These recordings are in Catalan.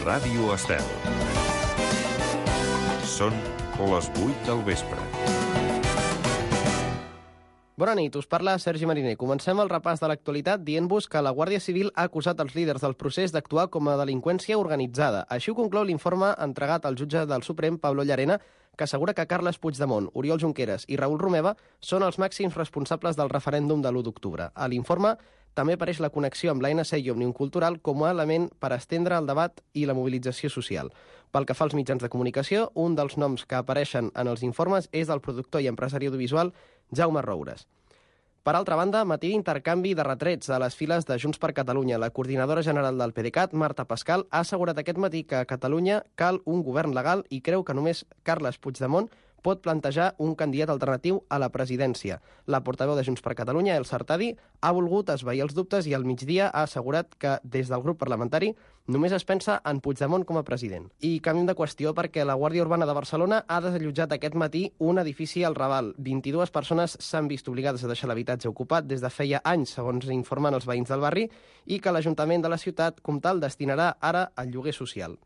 Ràdio Estel. Són les 8 del vespre. Bona nit, us parla Sergi Mariner. Comencem el repàs de l'actualitat dient-vos que la Guàrdia Civil ha acusat els líders del procés d'actuar com a delinqüència organitzada. Així ho conclou l'informe entregat al jutge del Suprem, Pablo Llarena, que assegura que Carles Puigdemont, Oriol Junqueras i Raül Romeva són els màxims responsables del referèndum de l'1 d'octubre. A l'informe també apareix la connexió amb l'ANC i Òmnium Cultural com a element per estendre el debat i la mobilització social. Pel que fa als mitjans de comunicació, un dels noms que apareixen en els informes és del productor i empresari audiovisual Jaume Roures. Per altra banda, matí d'intercanvi de retrets a les files de Junts per Catalunya. La coordinadora general del PDeCAT, Marta Pascal, ha assegurat aquest matí que a Catalunya cal un govern legal i creu que només Carles Puigdemont pot plantejar un candidat alternatiu a la presidència. La portaveu de Junts per Catalunya, Elsa Artadi, ha volgut esvair els dubtes i al migdia ha assegurat que des del grup parlamentari només es pensa en Puigdemont com a president. I canviem de qüestió perquè la Guàrdia Urbana de Barcelona ha desallotjat aquest matí un edifici al Raval. 22 persones s'han vist obligades a deixar l'habitatge ocupat des de feia anys, segons informen els veïns del barri, i que l'Ajuntament de la ciutat comtal destinarà ara al lloguer social.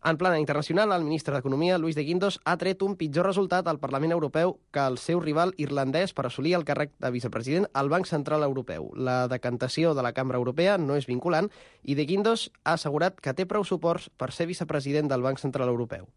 En plana internacional, el ministre d'Economia, Luis de Guindos, ha tret un pitjor resultat al Parlament Europeu que el seu rival irlandès per assolir el càrrec de vicepresident al Banc Central Europeu. La decantació de la Cambra Europea no és vinculant i de Guindos ha assegurat que té prou suports per ser vicepresident del Banc Central Europeu.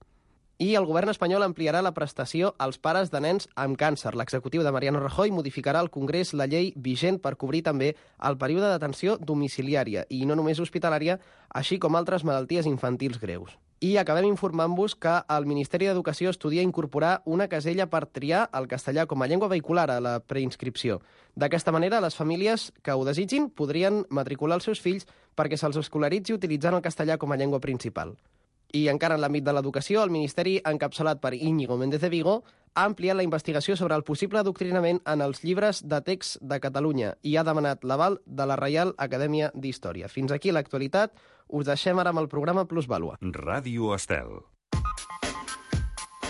I el govern espanyol ampliarà la prestació als pares de nens amb càncer. L'executiu de Mariano Rajoy modificarà al Congrés la llei vigent per cobrir també el període d'atenció domiciliària i no només hospitalària, així com altres malalties infantils greus. I acabem informant-vos que el Ministeri d'Educació estudia incorporar una casella per triar el castellà com a llengua vehicular a la preinscripció. D'aquesta manera, les famílies que ho desitgin podrien matricular els seus fills perquè se'ls escolaritzi utilitzant el castellà com a llengua principal. I encara en l'àmbit de l'educació, el Ministeri, encapçalat per Íñigo Méndez de Vigo, ha ampliat la investigació sobre el possible adoctrinament en els llibres de text de Catalunya i ha demanat l'aval de la Reial Acadèmia d'Història. Fins aquí l'actualitat. Us deixem ara amb el programa Plusvàlua. Ràdio Estel.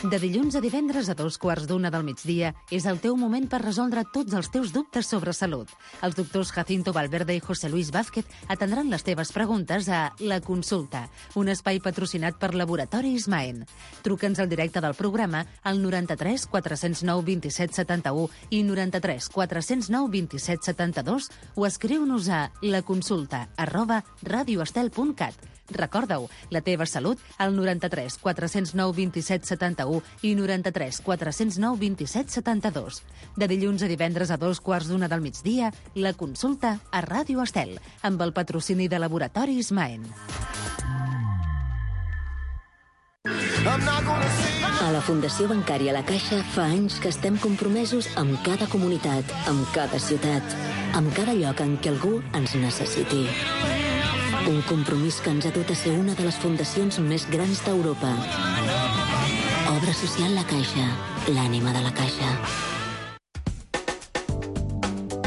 De dilluns a divendres a 2:15 del migdia és el teu moment per resoldre tots els teus dubtes sobre salut. Els doctors Jacinto Valverde i José Luis Vázquez atendran les teves preguntes a La Consulta, un espai patrocinat per Laboratoris Maen. Truca'ns al directe del programa al 93 409 27 71 i 93 409 27 72 o escriu-nos a laconsulta@radioestel.cat. Recorda-ho, la teva salut al 93 409 27 71 i 93 409 27 72. De dilluns a divendres a 2:15 del migdia, La Consulta a Ràdio Estel, amb el patrocini de Laboratoris Maen. A la Fundació Bancària La Caixa fa anys que estem compromesos amb cada comunitat, amb cada ciutat, amb cada lloc en què algú ens necessiti. Un compromís que ens ha dut a ser una de les fundacions més grans d'Europa. Obra social La Caixa, l'ànima de la Caixa.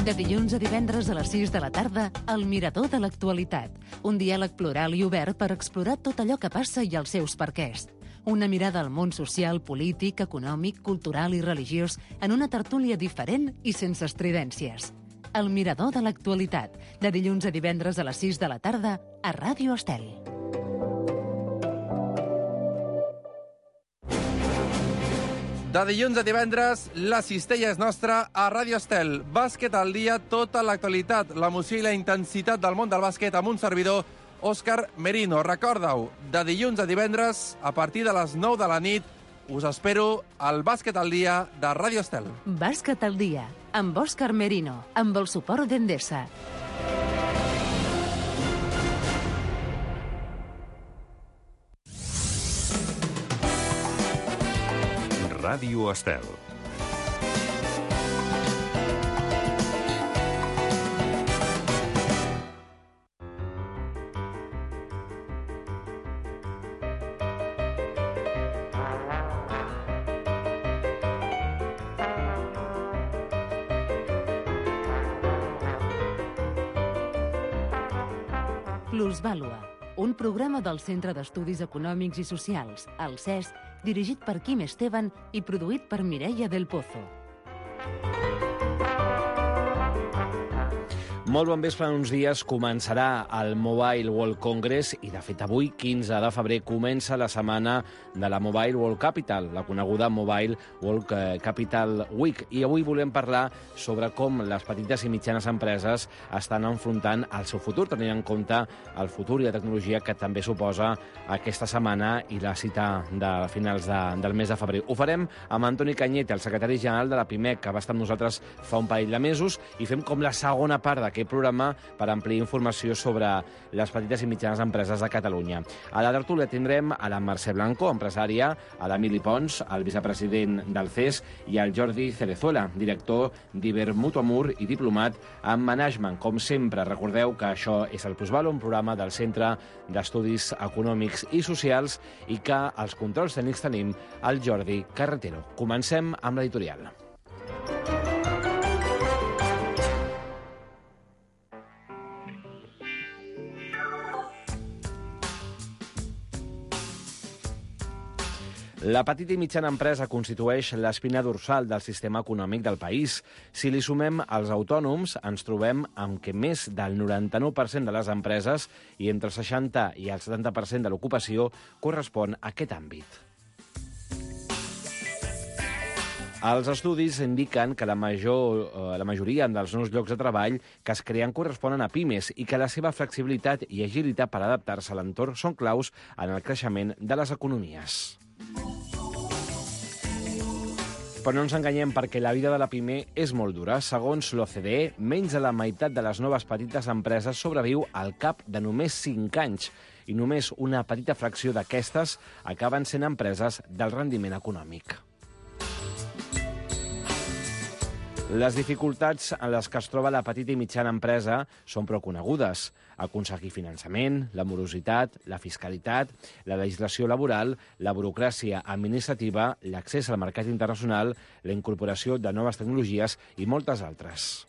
De dilluns a divendres a les 6 de la tarda, El Mirador de l'Actualitat. Un diàleg plural i obert per explorar tot allò que passa i els seus perquès. Una mirada al món social, polític, econòmic, cultural i religiós en una tertúlia diferent i sense estridències. El Mirador de l'Actualitat, de dilluns a divendres a les 6 de la tarda, a Ràdio Estel. De dilluns a divendres, la cistella és nostra a Ràdio Estel. Bàsquet al dia, tota l'actualitat, l'emoció i la intensitat del món del bàsquet amb un servidor, Òscar Merino. Recorda-ho, de dilluns a divendres, a partir de les 9 de la nit, us espero al Bàsquet al dia de Ràdio Estel. Bàsquet al dia, amb Òscar Merino, amb el suport d'Endesa. Ràdio Estel. Plusvàlua, un programa del Centre d'Estudis Econòmics i Socials, el CES, dirigit per Quim Esteban i produït per Mireia del Pozo. Molt bon vespre. En uns dies començarà el Mobile World Congress i, de fet, avui, 15 de febrer, comença la setmana de la Mobile World Capital, la coneguda Mobile World Capital Week. I avui volem parlar sobre com les petites i mitjanes empreses estan enfrontant el seu futur, tenint en compte el futur i la tecnologia que també suposa aquesta setmana i la cita de finals del mes de febrer. Ho farem amb Antoni Cañete, el secretari general de la PIMEC, que va estar amb nosaltres fa un parell de mesos, i fem com la segona part d'aquest programa per ampliar informació sobre les petites i mitjanes empreses de Catalunya. A la tertúlia tindrem a la Mercè Blanco, empresària, a l'Emili Pons, el vicepresident del CES, i al Jordi Cerezuela, director d'Ibermutuamur i diplomat en Management. Com sempre, recordeu que això és el Plusvalor, un programa del Centre d'Estudis Econòmics i Socials, i que els controls tècnics tenim el Jordi Carretero. Comencem amb l'editorial. La petita i mitjana empresa constitueix l'espina dorsal del sistema econòmic del país. Si li sumem els autònoms, ens trobem amb que més del 99% de les empreses i entre el 60 i el 70% de l'ocupació correspon a aquest àmbit. Els estudis indiquen que la majoria dels nous llocs de treball que es creen corresponen a pimes i que la seva flexibilitat i agilitat per adaptar-se a l'entorn són claus en el creixement de les economies. Però no ens enganyem, perquè la vida de la PIME és molt dura. Segons l'OCDE, menys de la meitat de les noves petites empreses sobreviu al cap de només 5 anys i només una petita fracció d'aquestes acaben sent empreses del rendiment econòmic. Les dificultats en les que es troba la petita i mitjana empresa són prou conegudes. Aconseguir finançament, la morositat, la fiscalitat, la legislació laboral, la burocràcia administrativa, l'accés al mercat internacional, la incorporació de noves tecnologies i moltes altres.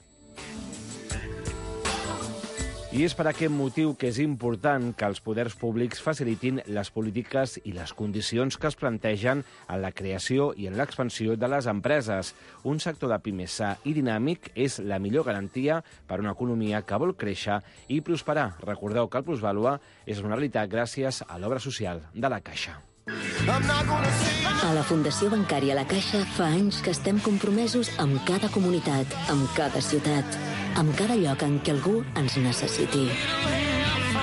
I és per aquest motiu que és important que els poders públics facilitin les polítiques i les condicions que es plantegen en la creació i en l'expansió de les empreses. Un sector de pimes sa i dinàmic és la millor garantia per a una economia que vol créixer i prosperar. Recordeu que el Plusvalor és una realitat gràcies a l'obra social de la Caixa. A la Fundació Bancària La Caixa fa anys que estem compromesos amb cada comunitat, amb cada ciutat, amb cada lloc en què algú ens necessiti.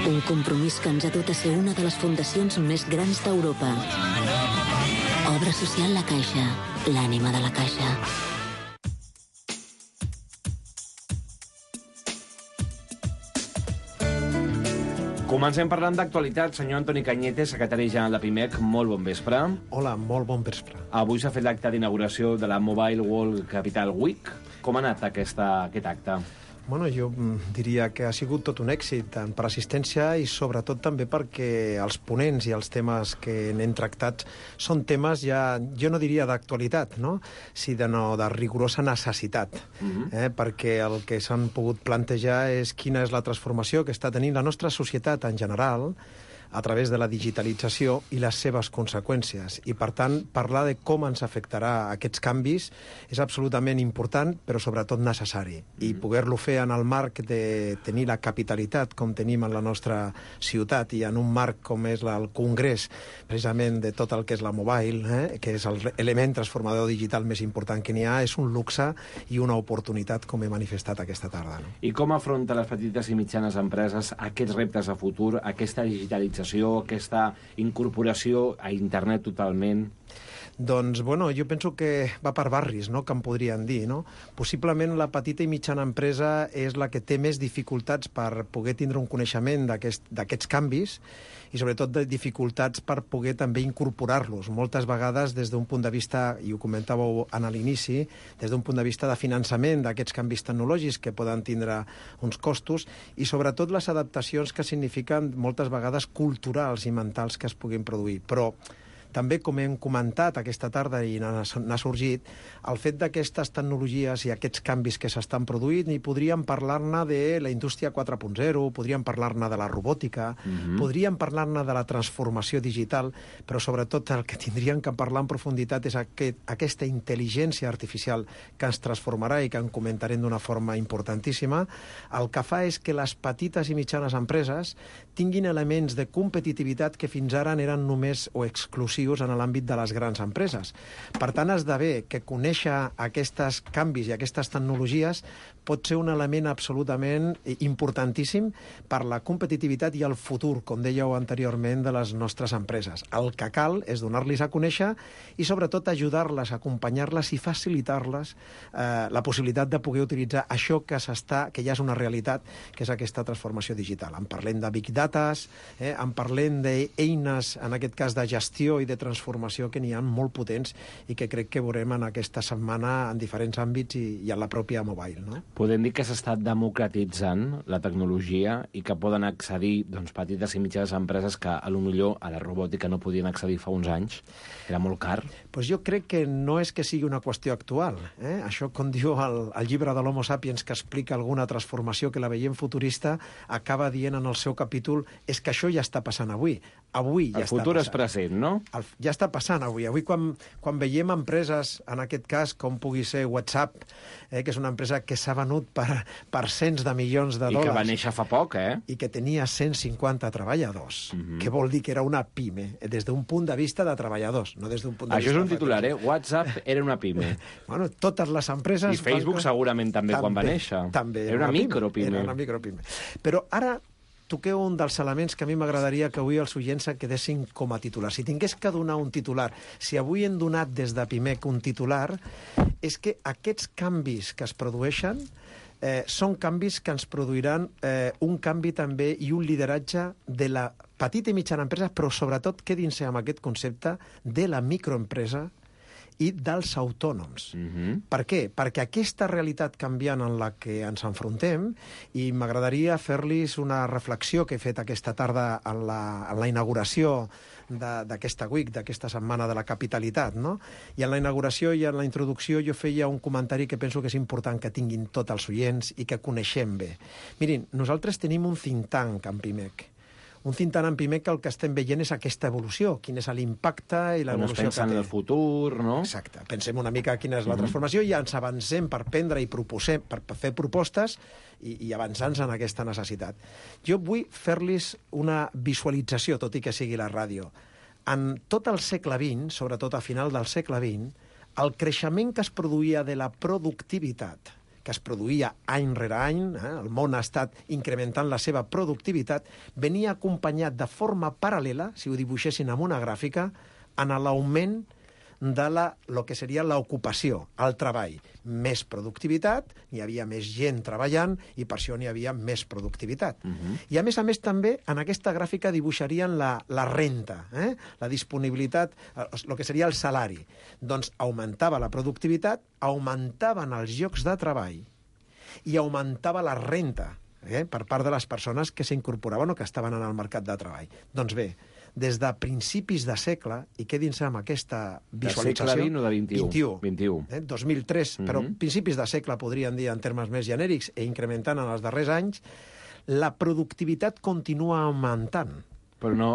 Un compromís que ens ha dut a ser una de les fundacions més grans d'Europa. Obra social La Caixa, l'ànima de la Caixa. Comencem parlant d'actualitat. Senyor Antoni Cañete, secretari general de PIMEC, molt bon vespre. Hola, molt bon vespre. Avui s'ha fet l'acte d'inauguració de la Mobile World Capital Week. Com ha anat aquest acte? Bueno, jo diria que ha sigut tot un èxit, tant per assistència i sobretot també perquè els ponents i els temes que n'hem tractat són temes ja, jo no diria d'actualitat, no? Sinó de rigorosa necessitat, perquè el que s'han pogut plantejar és quina és la transformació que està tenint la nostra societat en general a través de la digitalització i les seves conseqüències. I, per tant, parlar de com ens afectarà aquests canvis és absolutament important, però sobretot necessari. I poder-lo fer en el marc de tenir la capitalitat com tenim en la nostra ciutat i en un marc com és el Congrés, precisament de tot el que és la mobile, que és l'element transformador digital més important que n'hi ha, és un luxe i una oportunitat, com he manifestat aquesta tarda. No? I com afronta les petites i mitjanes empreses aquests reptes de futur, aquesta digitalització, aquesta incorporació a internet totalment? Doncs, bueno, jo penso que va per barris, no?, que em podrien dir, no? Possiblement la petita i mitjana empresa és la que té més dificultats per poder tindre un coneixement d'aquests canvis i sobretot de dificultats per poder també incorporar-los. Moltes vegades des d'un punt de vista, i ho comentàveu a l'inici, des d'un punt de vista de finançament d'aquests canvis tecnològics que poden tindre uns costos i sobretot les adaptacions que signifiquen moltes vegades culturals i mentals que es puguin produir. Però també, com hem comentat aquesta tarda i n'ha sorgit, el fet d'aquestes tecnologies i aquests canvis que s'estan produint, i podríem parlar-ne de la indústria 4.0, podríem parlar-ne de la robòtica, podríem parlar-ne de la transformació digital, però sobretot el que tindríem que parlar en profunditat és aquesta intel·ligència artificial que ens transformarà i que en comentarem d'una forma importantíssima. El que fa és que les petites i mitjanes empreses tinguin elements de competitivitat que fins ara eren només o exclusius en l'àmbit de les grans empreses. Per tant, esdevé que conèixer aquests canvis i aquestes tecnologies pot ser un element absolutament importantíssim per la competitivitat i el futur, com dèieu anteriorment, de les nostres empreses. El que cal és donar-los a conèixer i, sobretot, ajudar-les, acompanyar-les i facilitar-les la possibilitat de poder utilitzar això que ja és una realitat, que és aquesta transformació digital. En parlem de Big Datas, en parlem d'eines, en aquest cas de gestió i de transformació, que n'hi ha molt potents i que crec que veurem en aquesta setmana en diferents àmbits i en la pròpia mobile, no? Podem dir que s'està democratitzant la tecnologia i que poden accedir petites i mitjanes empreses que potser a la robòtica no podien accedir fa uns anys. Era molt car. Pues jo crec que no és que sigui una qüestió actual. Això, com diu el llibre de l'Homo Sapiens, que explica alguna transformació que la veiem futurista, acaba dient en el seu capítol és que això ja està passant avui. Avui ja està passant. El futur és present, no? Ja està passant avui. Avui, quan veiem empreses, en aquest cas, com pugui ser WhatsApp, que és una empresa que s'ha venut per cents de milions de dòlars. I que va néixer fa poc, I que tenia 150 treballadors. Què vol dir que era una pime? Des d'un punt de vista de treballadors, no des d'un punt de vista... Això és un titular, WhatsApp era una pime. Bueno, totes les empreses... I Facebook segurament també quan va néixer. També. Era una micropime. Era una micropime. Però ara toqueu un dels elements que a mi m'agradaria que avui els oients quedessin com a titular. Si tingués que donar un titular, si avui hem donat des de PIMEC un titular, és que aquests canvis que es produeixen són canvis que ens produiran un canvi també i un lideratge de la petita i mitjana empresa, però sobretot quedin-se amb aquest concepte de la microempresa i dels autònoms. Per què? Perquè aquesta realitat canviant en la que ens enfrontem, i m'agradaria fer-los una reflexió que he fet aquesta tarda en la inauguració d'aquesta week, d'aquesta setmana de la capitalitat, no? I en la inauguració i en la introducció jo feia un comentari que penso que és important que tinguin tots els oients i que coneixem bé. Mirin, nosaltres tenim un think tank en PIMEC. Un think tank en PIMEC que el que estem veient és aquesta evolució, quin és l'impacte i l'evolució que té. On es pensa en el futur, no? Exacte. Pensem una mica quina és la transformació i ens avancem per prendre i proposem, per fer propostes i avançar-nos en aquesta necessitat. Jo vull fer-los una visualització, tot i que sigui la ràdio. En tot el segle XX, sobretot a final del segle XX, el creixement que es produïa de la productivitat, que es produïa any rere any, el món ha estat incrementant la seva productivitat, venia acompanyat de forma paral·lela, si ho dibuixessin amb una gràfica, en l'augment de lo que seria l'ocupació, el treball. Més productivitat, hi havia més gent treballant i per això n'hi havia més productivitat. I a més també en aquesta gràfica dibuixarien la renta, la disponibilitat, el que seria el salari. Doncs augmentava la productivitat, augmentaven els llocs de treball i augmentava la renta per part de les persones que s'incorporaven o que estaven en el mercat de treball. Doncs bé, des de principis de segle, i quedin-se amb aquesta visualització... De segle XX o de XXI? 2003, però principis de segle, podríem dir, en termes més genèrics, i incrementant en els darrers anys, la productivitat continua augmentant. Però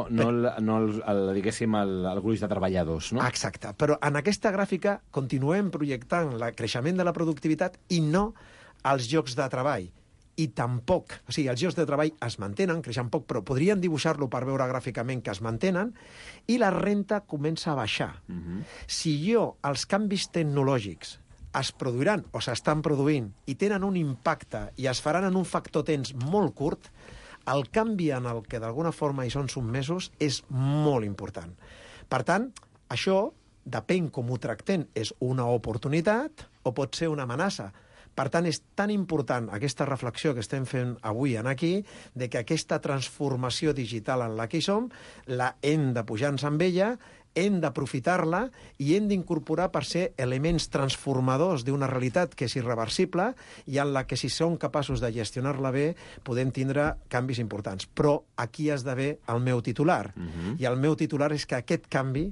diguéssim, el gruix de treballadors, no? Exacte, però en aquesta gràfica continuem projectant el creixement de la productivitat i no els llocs de treball. I tampoc, o sigui, els llocs de treball es mantenen, creixen poc, però podrien dibuixar-lo per veure gràficament que es mantenen, i la renta comença a baixar. Si els canvis tecnològics es produiran o s'estan produint i tenen un impacte i es faran en un factor temps molt curt, el canvi en el que d'alguna forma hi són sotmesos és molt important. Per tant, això, depèn com ho tractem, és una oportunitat o pot ser una amenaça. Per tant, és tan important aquesta reflexió que estem fent avui aquí, de que aquesta transformació digital en la que hi som, la hem de pujar-nos amb ella, hem d'aprofitar-la i hem d'incorporar per ser elements transformadors d'una realitat que és irreversible i en la que, si som capaços de gestionar-la bé, podem tindre canvis importants. Però aquí has d'haver el meu titular. I el meu titular és que aquest canvi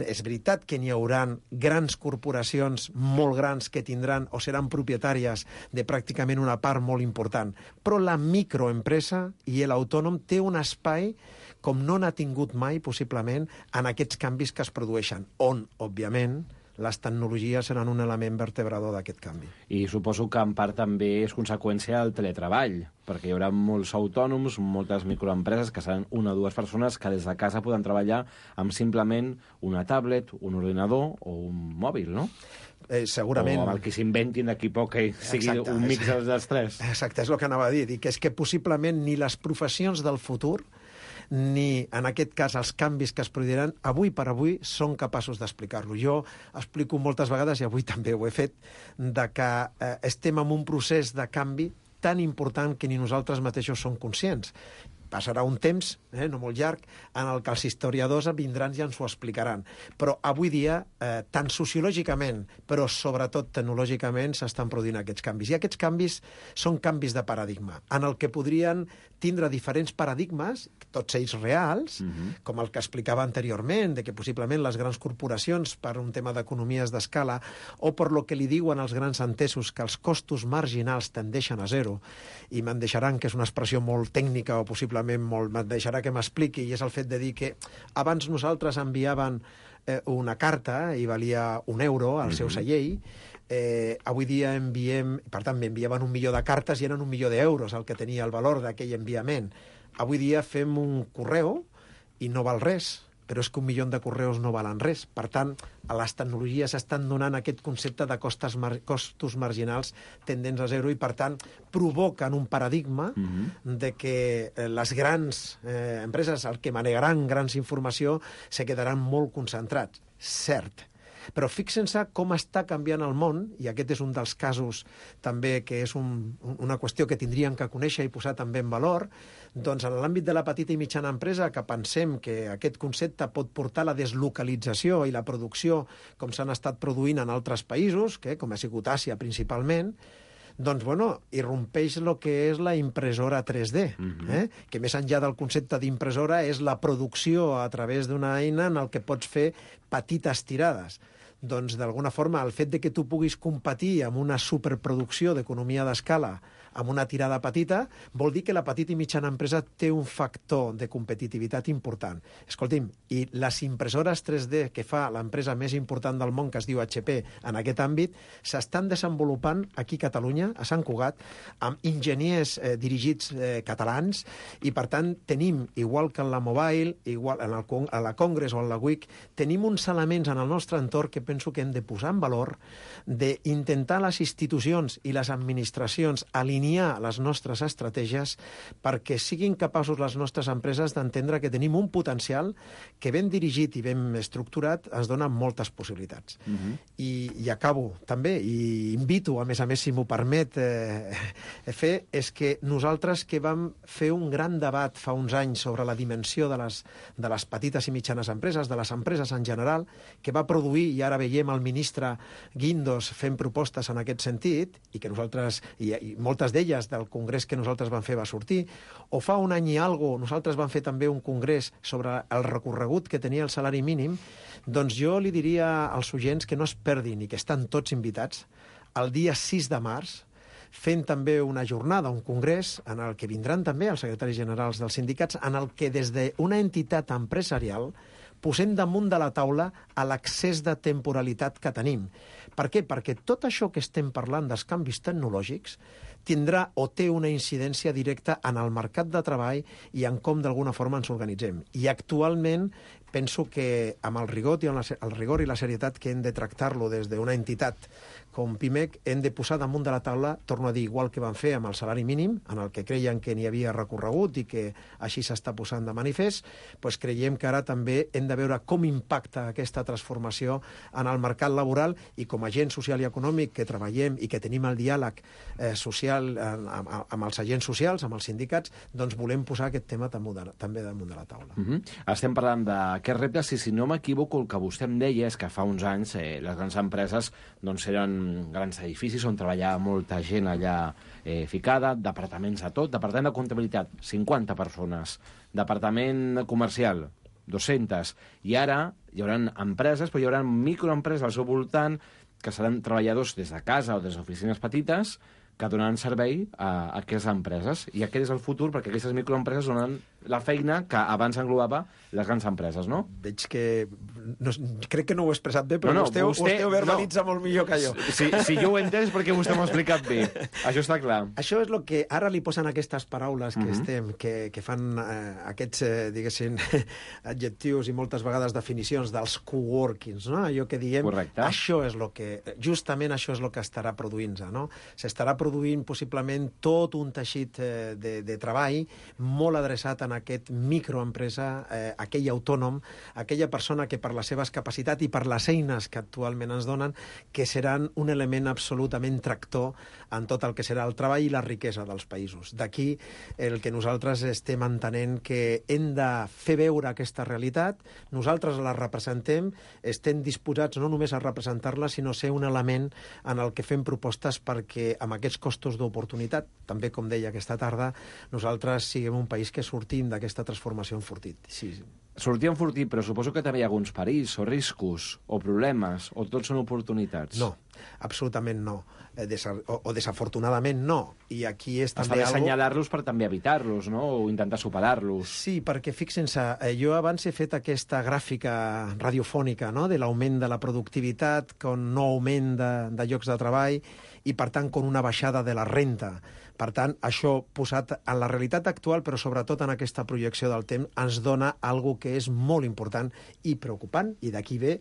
És veritat que n'hi haurà grans corporacions molt grans que tindran o seran propietàries de pràcticament una part molt important, però la microempresa i l'autònom té un espai com no n'ha tingut mai, possiblement, en aquests canvis que es produeixen, on, òbviament, les tecnologies seran un element vertebrador d'aquest canvi. I suposo que en part també és conseqüència del teletreball, perquè hi haurà molts autònoms, moltes microempreses, que seran una o dues persones que des de casa poden treballar amb simplement una tablet, un ordinador o un mòbil, no? Segurament. O amb el que s'inventin d'aquí poc que sigui Exacte, un mix dels tres. Exacte, és el que anava a dir, que és que possiblement ni les professions del futur ni, en aquest cas, els canvis que es produiran, avui per avui són capaços d'explicar-lo. Jo explico moltes vegades, i avui també ho he fet, de que estem en un procés de canvi tan important que ni nosaltres mateixos som conscients. Passarà un temps, no molt llarg, en el que els historiadors vindran i ens ho explicaran. Però avui dia, tant sociològicament, però sobretot tecnològicament, s'estan produint aquests canvis. I aquests canvis són canvis de paradigma, en el que podrien tindre diferents paradigmes, tots ells reals, com el que explicava anteriorment, de que possiblement les grans corporacions, per un tema d'economies d'escala, o per lo que li diuen els grans entesos, que els costos marginals tendeixen a zero, i me'n deixaran que és una expressió molt tècnica o possiblement me'n deixarà que m'expliqui, i és el fet de dir que abans nosaltres enviaven una carta i valia €1 al seu cellell, avui dia enviem, per tant, enviaven 1 milió de cartes i eren 1 milió d'euros el que tenia el valor d'aquell enviament. Avui dia fem un correu i no val res, però és que 1 milió de correus no valen res. Per tant, a les tecnologies estan donant aquest concepte de costos marginals tendents a zero i, per tant, provoquen un paradigma de que les grans empreses, el que manegaran grans informació, se quedaran molt concentrats. Cert. Però fixen-se com està canviant el món, i aquest és un dels casos també que és una qüestió que tindríem que conèixer i posar també en valor, doncs en l'àmbit de la petita i mitjana empresa, que pensem que aquest concepte pot portar la deslocalització i la producció com s'han estat produint en altres països, com ha sigut Àsia principalment, doncs, bueno, irrompeix el que és la impressora 3D, que més enllà del concepte d'impressora és la producció a través d'una eina en el que pots fer petites tirades. Doncs, d'alguna forma, el fet de que tu puguis competir amb una superproducció d'economia d'escala amb una tirada petita, vol dir que la petita i mitjana empresa té un factor de competitivitat important. Escolti'm, i les impressores 3D que fa l'empresa més important del món, que es diu HP, en aquest àmbit, s'estan desenvolupant aquí a Catalunya, a Sant Cugat, amb enginyers dirigits catalans, i per tant tenim, igual que en la Mobile, igual a la Congress o en la WIC, tenim uns elements en el nostre entorn que penso que hem de posar en valor, d'intentar les institucions i les administracions alinear les nostres estratègies perquè siguin capaços les nostres empreses d'entendre que tenim un potencial que ben dirigit i ben estructurat ens dona moltes possibilitats. I acabo també, i invito, a més, si m'ho permet fer, és que nosaltres que vam fer un gran debat fa uns anys sobre la dimensió de les petites i mitjanes empreses, de les empreses en general, que va produir, i ara veiem el ministre Guindos fent propostes en aquest sentit, i que nosaltres, i moltes d'elles del congrés que nosaltres vam fer va sortir, o fa un any i alguna cosa nosaltres vam fer també un congrés sobre el recorregut que tenia el salari mínim, doncs jo li diria als oients que no es perdin i que estan tots invitats el dia 6 de març, fent també una jornada, un congrés, en el que vindran també els secretaris generals dels sindicats, en el que des d'una entitat empresarial posem damunt de la taula l'accés de temporalitat que tenim. Per què? Perquè tot això que estem parlant dels canvis tecnològics tindrà o té una incidència directa en el mercat de treball i en com d'alguna forma ens organitzem. I actualment penso que amb el rigor i la serietat que hem de tractar-lo des d'una entitat com PIMEC, hem de posar damunt de la taula, torno a dir, igual que van fer amb el salari mínim, en el que creien que n'hi havia recorregut i que així s'està posant de manifest, doncs creiem que ara també hem de veure com impacta aquesta transformació en el mercat laboral, i com a agent social i econòmic que treballem i que tenim el diàleg social amb els agents socials, amb els sindicats, doncs volem posar aquest tema també damunt de la taula. Estem parlant d'aquests reptes, i si no m'equivoco, el que vostè em deia és que fa uns anys les grans empreses doncs eren grans edificis on treballava molta gent allà ficada, departaments a tot, departament de comptabilitat, 50 persones, departament comercial, 200. I ara hi haurà empreses, però hi haurà microempreses al seu voltant que seran treballadors des de casa o des d'oficines petites que donaran servei a aquestes empreses. I aquest és el futur, perquè aquestes microempreses donen la feina que abans englobava les grans empreses, no? Veig que... No, crec que no ho he expressat bé, però vostè ho verbalitza molt millor que jo. Si jo ho he entès perquè vostè m'ho ha explicat bé. Això està clar. Això és el que ara li posen aquestes paraules que fan aquests, diguéssim, adjectius i moltes vegades definicions dels coworkings, no? Allò que diem... Correcte. Això és el que... Justament això és el que estarà produint-se, no? S'estarà produint possiblement tot un teixit de treball molt adreçat en aquest microempresa, aquell autònom, aquella persona que per les seves capacitats i per les eines que actualment ens donen, que seran un element absolutament tractor en tot el que serà el treball i la riquesa dels països. D'aquí el que nosaltres estem entenent que hem de fer veure aquesta realitat, nosaltres la representem, estem disposats no només a representar-la, sinó ser un element en el que fem propostes perquè amb aquests costos d'oportunitat, també com deia aquesta tarda, nosaltres siguem un país que sortim d'aquesta transformació enfortit. Sí. Sortir enfortit, però suposo que també hi ha alguns perills o riscos o problemes, o tots són oportunitats. No, absolutament no. O desafortunadament no. I aquí és també Està bé assenyalar-los per també evitar-los, no? O intentar superar-los. Sí, perquè fixen-se, jo abans he fet aquesta gràfica radiofònica, no?, de l'augment de la productivitat, con no augment de llocs de treball i, per tant, con una baixada de la renta. Per tant, això posat en la realitat actual, però sobretot en aquesta projecció del temps, ens dona algo que és molt important i preocupant, i d'aquí ve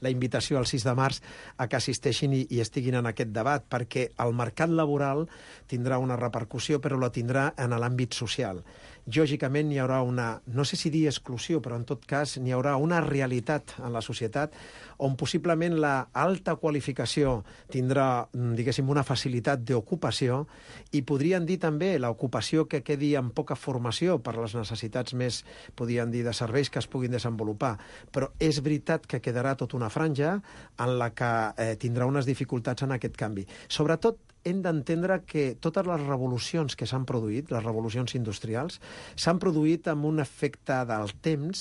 la invitació al 6 de març a que assisteixin i estiguin en aquest debat, perquè el mercat laboral tindrà una repercussió, però la tindrà en l'àmbit social. Lògicament hi haurà una, no sé si dir exclusió, però en tot cas hi haurà una realitat en la societat on possiblement la alta qualificació tindrà, diguéssim, una facilitat d'ocupació i podrien dir també l'ocupació que quedi amb poca formació per les necessitats més, podrien dir, de serveis que es puguin desenvolupar. Però és veritat que quedarà tota una franja en la que tindrà unes dificultats en aquest canvi. Sobretot, hem d'entendre que totes les revolucions que s'han produït, les revolucions industrials, s'han produït amb un efecte del temps,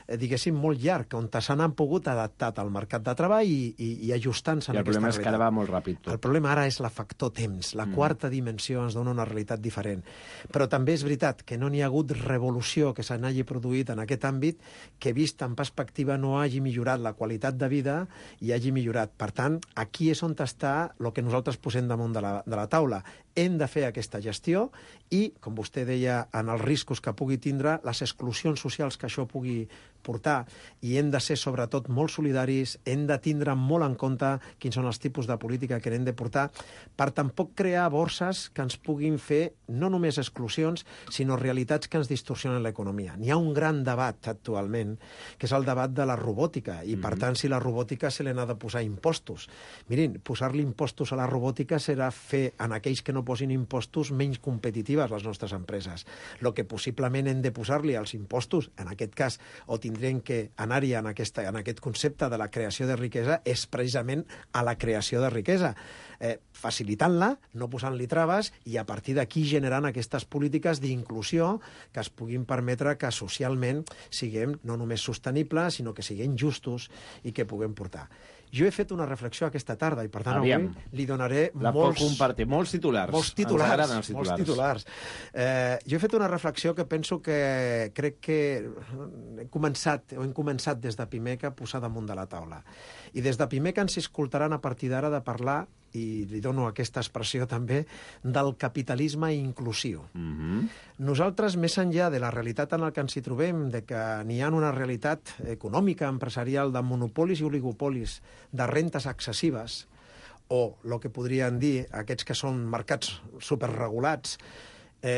diguéssim, molt llarg, on s'han pogut adaptar al mercat de treball i ajustant-se en aquesta realitat. I el problema és que ara va molt ràpid tot. El problema ara és la factor temps. La quarta dimensió ens dona una realitat diferent. Però també és veritat que no n'hi ha hagut revolució que se n'hagi produït en aquest àmbit que, vist en perspectiva, no hagi millorat la qualitat de vida i hagi millorat. Per tant, aquí és on està el que nosaltres posem damunt de la taula. Hem de fer aquesta gestió i, com vostè deia, en els riscos que pugui tindre, les exclusions socials que això pugui portar, i hem de ser sobretot molt solidaris, hem de tindre molt en compte quins són els tipus de política que hem de portar, per tampoc crear borses que ens puguin fer no només exclusions, sinó realitats que ens distorsionen l'economia. N'hi ha un gran debat actualment, que és el debat de la robòtica, i per tant, si la robòtica se li ha de posar impostos. Mirin, posar-li impostos a la robòtica serà fer en aquells que no posin impostos menys competitives les nostres empreses. El que possiblement hem de posar-li als impostos, en aquest cas, o tindrem que anar-hi en aquest concepte de la creació de riquesa, és precisament a la creació de riquesa, facilitant-la, no posant-li traves, i a partir d'aquí generant aquestes polítiques d'inclusió que es puguin permetre que socialment siguem no només sostenibles, sinó que siguem justos i que puguem portar. Jo he fet una reflexió aquesta tarda i, per tant, avui li donaré molts titulars. Molts titulars. Jo he fet una reflexió que penso que crec que hem començat des de Pimec a posar damunt de la taula. I des de Pimec ens escoltaran a partir d'ara de parlar, i li dono aquesta expressió també, del capitalisme inclusiu. Nosaltres, més enllà de la realitat en la que ens hi trobem, de que n'hi ha una realitat econòmica, empresarial, de monopolis i oligopolis, de rentes excessives, o el que podrien dir aquests que són mercats superregulats,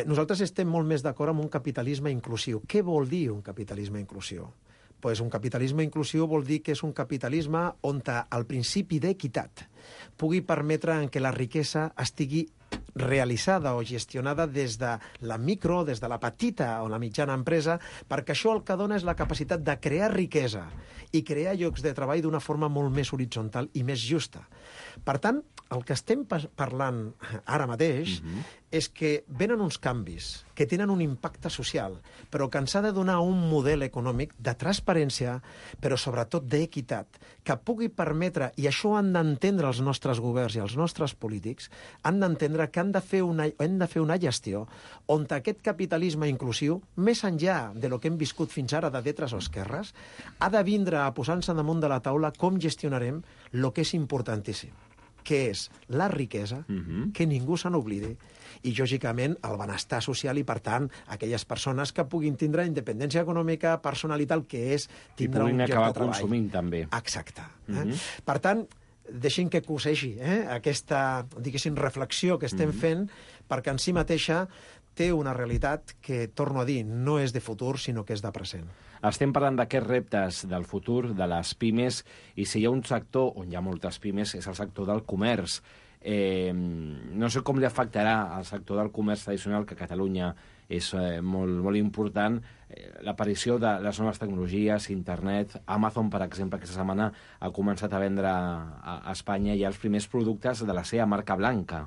nosaltres estem molt més d'acord amb un capitalisme inclusiu. Què vol dir un capitalisme inclusiu? Pues un capitalisme inclusiu vol dir que és un capitalisme on el principi d'equitat pugui permetre que la riquesa estigui realitzada o gestionada des de la micro, des de la petita o la mitjana empresa, perquè això el que dona és la capacitat de crear riquesa i crear llocs de treball d'una forma molt més horitzontal i més justa. Per tant, el que estem parlant ara mateix és que venen uns canvis que tenen un impacte social, però que ens ha de donar un model econòmic de transparència, però sobretot d'equitat, que pugui permetre, i això han d'entendre els nostres governs i els nostres polítics, han d'entendre que hem de fer una gestió on aquest capitalisme inclusiu, més enllà de lo que hem viscut fins ara de dretes o esquerres, ha de vindre a posar-se damunt de la taula com gestionarem el que és importantíssim, que és la riquesa, que ningú se n'oblidi, i, lògicament, el benestar social i, per tant, aquelles persones que puguin tindre independència econòmica, personalitat, que és tindre un lloc de treball. I puguin acabar consumint, també. Exacte. Per tant, deixin que cosegi aquesta, diguéssim, reflexió que estem fent, perquè en si mateixa té una realitat que, torno a dir, no és de futur, sinó que és de present. Estem parlant d'aquests reptes del futur, de les pimes, i si hi ha un sector on hi ha moltes pimes és el sector del comerç. No sé com li afectarà al sector del comerç tradicional, que a Catalunya és molt important, l'aparició de les noves tecnologies, internet. Amazon, per exemple, aquesta setmana ha començat a vendre a Espanya ja els primers productes de la seva marca blanca.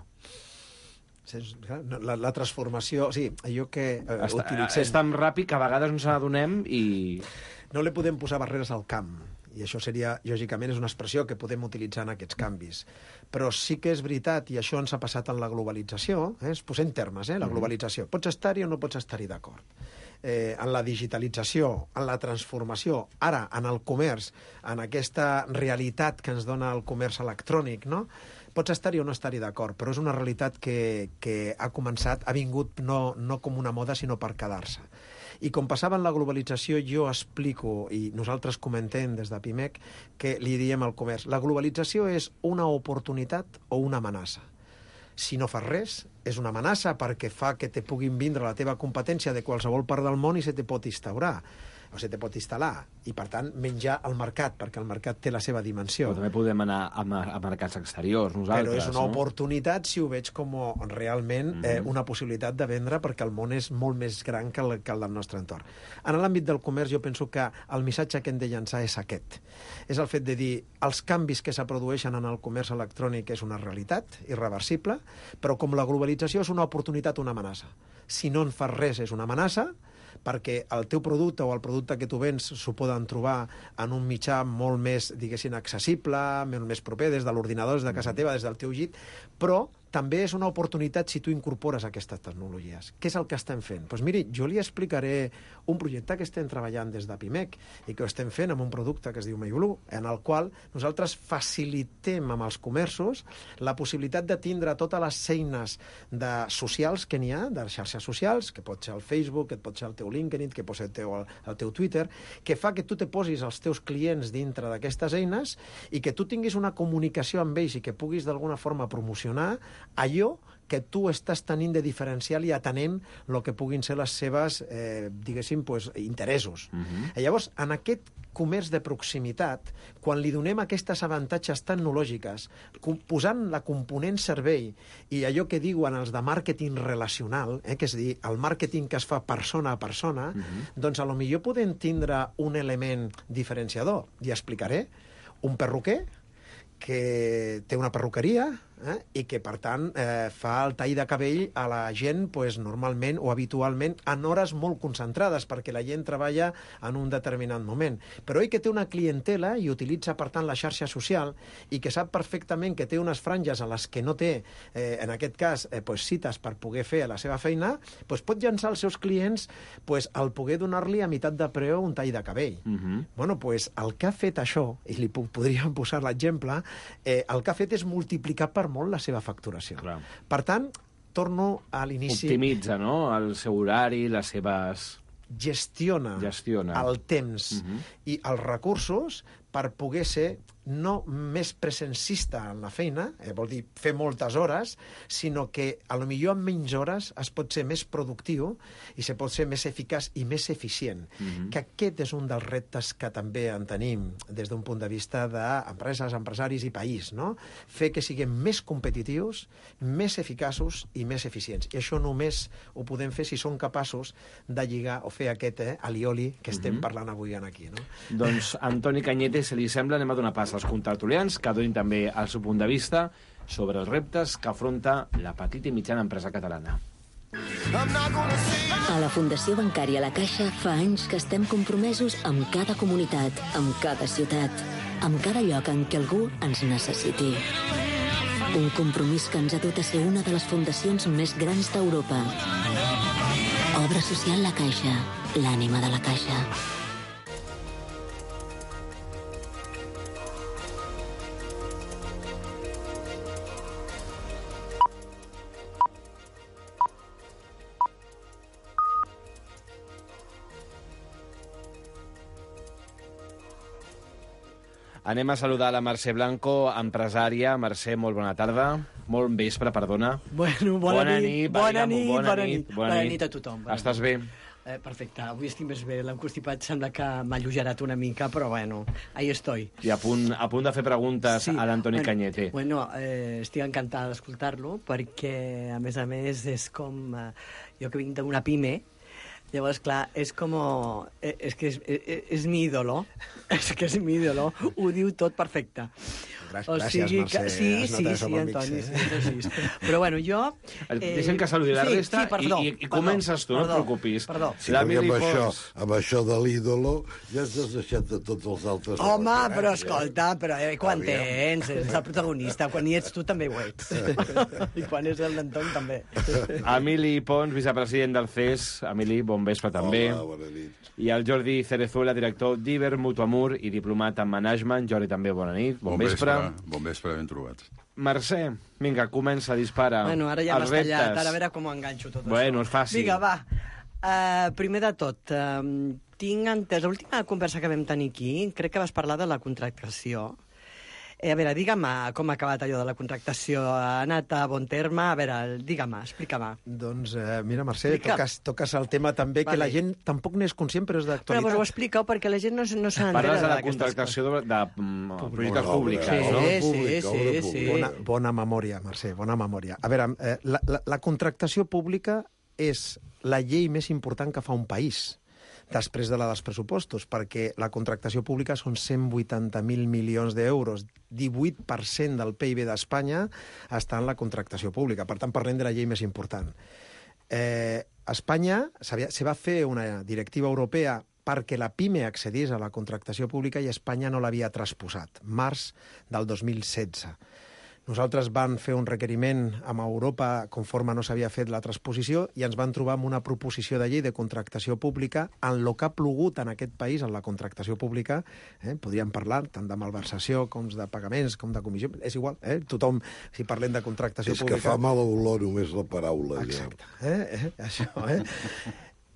La transformació, sí, allò que utilitzem... És tan ràpid que a vegades no ens n'adonem i... No li podem posar barreres al camp, i això seria, lògicament, és una expressió que podem utilitzar en aquests canvis. Però sí que és veritat, i això ens ha passat en la globalització, es posem termes, la globalització. Pots estar-hi o no pots estar-hi d'acord. En la digitalització, en la transformació, ara, en el comerç, en aquesta realitat que ens dona el comerç electrònic, no? Pots estar-hi o no estar-hi d'acord, però és una realitat que ha començat, ha vingut no com una moda, sinó per quedar-se. I com passava en la globalització, jo explico, i nosaltres comentem des de PIMEC, que li diem al comerç, la globalització és una oportunitat o una amenaça. Si no fas res, és una amenaça perquè fa que te puguin vindre la teva competència de qualsevol part del món i se te pot instaurar, o se te pot instal·lar, i per tant menjar al mercat, perquè el mercat té la seva dimensió. Però també podem anar a mercats exteriors, nosaltres. Però és una oportunitat si ho veig com realment una possibilitat de vendre, perquè el món és molt més gran que el del nostre entorn. En l'àmbit del comerç jo penso que el missatge que hem de llançar és aquest. És el fet de dir, els canvis que se produeixen en el comerç electrònic és una realitat irreversible, però com la globalització és una oportunitat, una amenaça. Si no en fas res és una amenaça, perquè el teu producte o el producte que tu vens s'ho poden trobar en un mitjà molt més, diguéssim, accessible, molt més proper, des de l'ordinador, des de casa teva, des del teu llit, però també és una oportunitat si tu incorpores aquestes tecnologies. Què és el que estem fent? Doncs miri, jo li explicaré un projecte que estem treballant des de PIMEC i que ho estem fent amb un producte que es diu MyBlue, en el qual nosaltres facilitem amb els comerços la possibilitat de tindre totes les eines socials que n'hi ha, de xarxes socials, que pot ser el Facebook, que pot ser el teu LinkedIn, que pot ser el teu Twitter, que fa que tu te posis els teus clients dintre d'aquestes eines i que tu tinguis una comunicació amb ells i que puguis d'alguna forma promocionar allò que tu estàs tenint de diferencial i atenent el que puguin ser les seves, diguéssim, interessos. I llavors, en aquest comerç de proximitat, quan li donem aquestes avantatges tecnològiques, posant la component servei i allò que diuen els de màrqueting relacional, que és dir, el màrqueting que es fa persona a persona, doncs a lo millor podem tindre un element diferenciador. I explicaré un perruquer que té una perruqueria i que, per tant, fa el tall de cabell a la gent normalment o habitualment en hores molt concentrades, perquè la gent treballa en un determinat moment. Però ell que té una clientela i utilitza, per tant, la xarxa social i que sap perfectament que té unes franges a les que no té, en aquest cas, cites per poder fer la seva feina, pot llançar als seus clients el poder donar-li a meitat de preu un tall de cabell. Bueno, el que ha fet això, i li podríem posar l'exemple, el que ha fet és multiplicar per molt la seva facturació. Clar. Per tant, torno a l'inici... Optimitza, no?, el seu horari, les seves... Gestiona el temps i els recursos per poder ser no més presencista en la feina, vol dir fer moltes hores, sinó que a lo millor en menys hores es pot ser més productiu i se pot ser més eficaç i més eficient. Que aquest és un dels reptes que també en tenim des d'un punt de vista d'empreses, empresaris i país, no? Fer que siguem més competitius, més eficaços i més eficients. I això només ho podem fer si som capaços de lligar o fer aquest alioli que estem parlant avui aquí, no? Doncs, Antoni Cañete, si li sembla, anem a donar pas als contertulians, que donin també el seu punt de vista. sobre els reptes que afronta la petita i mitjana empresa catalana. A la Fundació Bancària La Caixa fa anys que estem compromesos amb cada comunitat, amb cada ciutat, amb cada lloc en què algú ens necessiti. Un compromís que ens ha dut a ser una de les fundacions més grans d'Europa. Obra social La Caixa, l'ànima de la Caixa. Anem a saludar la Mercè Blanco, empresària. Mercè, molt bona tarda. Molt vespre, perdona. Bueno, bona nit. Bona nit a tothom. Estàs bé? Perfecte, avui estic més bé. L'enconstipat sembla que m'ha alleugerat una mica, però bueno, ahí estoy. I a punt de fer preguntes a l'Antoni Cañete. Bueno, estic encantada d'escoltar-lo, perquè, a més, és com... jo que vinc d'una pime, llavors, clar, és com... És mi ídolo. És que és mi ídolo. Ho diu tot perfecte. Gràcies, Mercè. Sí, Antoni, sí. Però, bueno, jo... Deixem que saludi la resta i comences tu, no et preocupis. Perdó. Sí, amb això de l'ídolo ja ens has deixat de tots els altres. Home, però escolta, quan tens? Ets el protagonista. Quan hi ets tu també ho ets. I quan és el d'Antoni també. Emili Pons, vicepresident del CES. Emili, bon vespre també. Hola, bona nit. I el Jordi Cerezuela, director d'Iber Mutuamur i diplomat en management. Jordi, també bona nit, bon vespre. Bon vespre, ben trobat. Mercè, vinga, comença, dispara. Bueno, ara ja m'has tallat, ara a veure com ho enganxo tot això. Bueno, és fàcil. Vinga, va. Primer de tot, tinc entès, l'última conversa que vam tenir aquí, crec que vas parlar de la contractació. A veure, digue'm com ha acabat allò de la contractació. Ha anat a bon terme? A veure, digue'm, explica-me. Doncs, mira, Mercè, toques el tema també, que la gent tampoc n'és conscient, però és d'actualitat. Però ho expliqueu perquè la gent no s'entera. Parles de la contractació de polítiques públiques, no? Sí. Bona memòria, Mercè, bona memòria. A veure, la contractació pública és la llei més important que fa un país després de la dels pressupostos, perquè la contractació pública són 180.000 milions d'euros. 18% del PIB d'Espanya està en la contractació pública. Per tant, parlem de la llei més important. Espanya se va fer una directiva europea perquè la PIME accedís a la contractació pública i Espanya no l'havia transposat. Març del 2016. Nosaltres vam fer un requeriment amb Europa conforme no s'havia fet la transposició i ens van trobar amb una proposició de llei de contractació pública en el que ha plogut en aquest país, en la contractació pública. Podríem parlar tant de malversació com de pagaments, com de comissió. És igual, tothom, si parlem de contractació pública... És que fa mala olor només la paraula. Exacte. Això,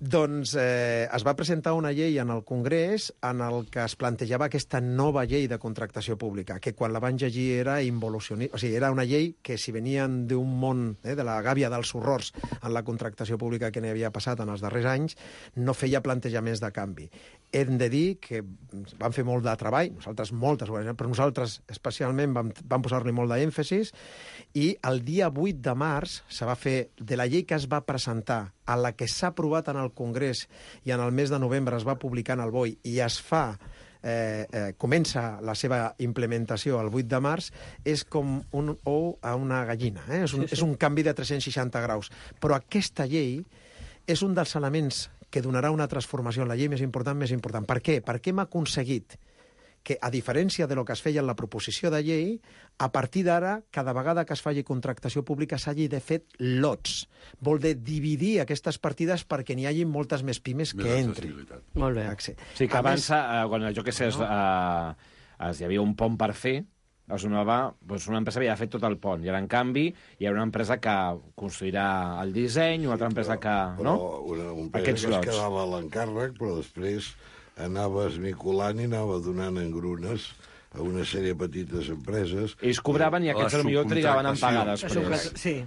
Doncs es va presentar una llei en el Congrés en el que es plantejava aquesta nova llei de contractació pública, que quan la van llegir era involucionista. O sigui, era una llei que si venien d'un món de la gàbia dels horrors en la contractació pública que n'hi havia passat en els darrers anys, no feia plantejaments de canvi. Hem de dir que vam fer molt de treball, nosaltres moltes organitzacions, però nosaltres especialment vam posar-li molt d'èmfasis, i el dia 8 de març se va fer de la llei que es va presentar a la que s'ha aprovat en el Congrés i en el mes de novembre es va publicar en el BOE i es fa, comença la seva implementació el 8 de març, és com un ou a una gallina. És un canvi de 360 graus. Però aquesta llei és un dels elements que donarà una transformació en la llei més important. Per què? Perquè hem aconseguit que, a diferència de lo que es feia en la proposició de llei, a partir d'ara, cada vegada que es faci contractació pública s'hagi de fer lots. Vol dir dividir aquestes partides perquè n'hi hagi moltes més pimes que entrin. Molt bé. Sí, que abans, quan jo què sé, hi havia un pont per fer, una empresa havia fet tot el pont, i ara, en canvi, hi ha una empresa que construirà el disseny, una altra empresa que... Però una empresa es quedava a l'encàrrec, però després anava esmicolant i anava donant engrunes a una sèrie de petites empreses. Ells cobraven i aquests potser trigaven en pagar després. Sí.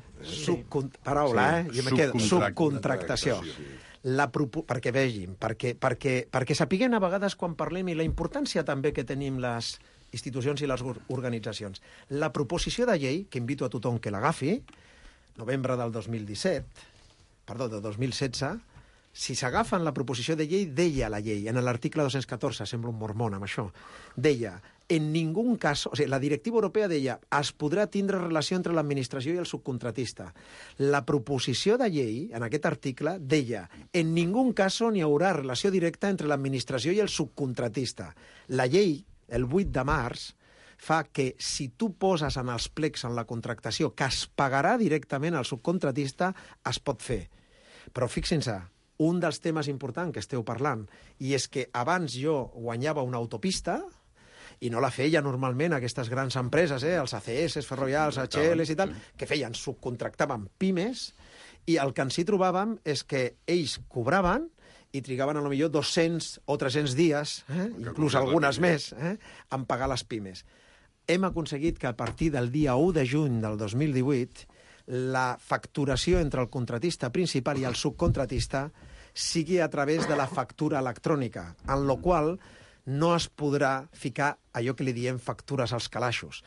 Paraula, jo me quedo. Subcontractació. Perquè vegin, perquè sapiguem a vegades quan parlem i la importància també que tenim les institucions i les organitzacions. La proposició de llei, que invito a tothom que l'agafi, novembre del 2016, si s'agafen la proposició de llei, deia la llei, en l'article 214, sembla un mormon amb això, deia, en ningú cas... O sigui, la directiva europea deia es podrà tindre relació entre l'administració i el subcontratista. La proposició de llei, en aquest article, deia en ningú cas n'hi haurà relació directa entre l'administració i el subcontratista. La llei, el 8 de març, fa que si tu poses en els plecs en la contractació que es pagarà directament al subcontratista, es pot fer. Però fixin-se, un dels temes importants que esteu parlant, i és que abans jo guanyava una autopista, i no la feia normalment aquestes grans empreses, els ACS, Ferrovials, HL i tal, que feien, subcontractaven pimes, i el que ens hi trobàvem és que ells cobraven i trigaven a lo millor 200 o 300 dies, inclús algunes més, en pagar les pimes. Hem aconseguit que a partir del dia 1 de juny del 2018 la facturació entre el contratista principal i el subcontratista sigui a través de la factura electrònica, en la qual no es podrà ficar allò que li diem factures als calaixos.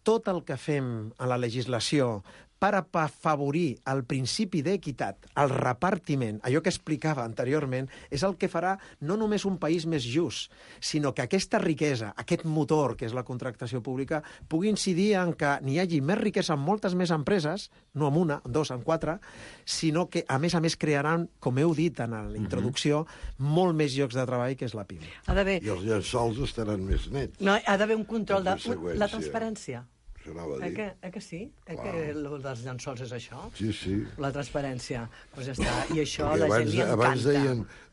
Tot el que fem a la legislació per afavorir el principi d'equitat, el repartiment, allò que explicava anteriorment, és el que farà no només un país més just, sinó que aquesta riquesa, aquest motor que és la contractació pública, pugui incidir en que n'hi hagi més riquesa en moltes més empreses, no en una, en dos, en quatre, sinó que, a més, crearan, com heu dit en la introducció, molt més llocs de treball que és la PIME. I els llençols estaran més nets. No, ha d'haver un control de la transparència. Que sí? Que el dels llençols és això? Sí. La transparència. Doncs ja està. I això a la gent li encanta. Abans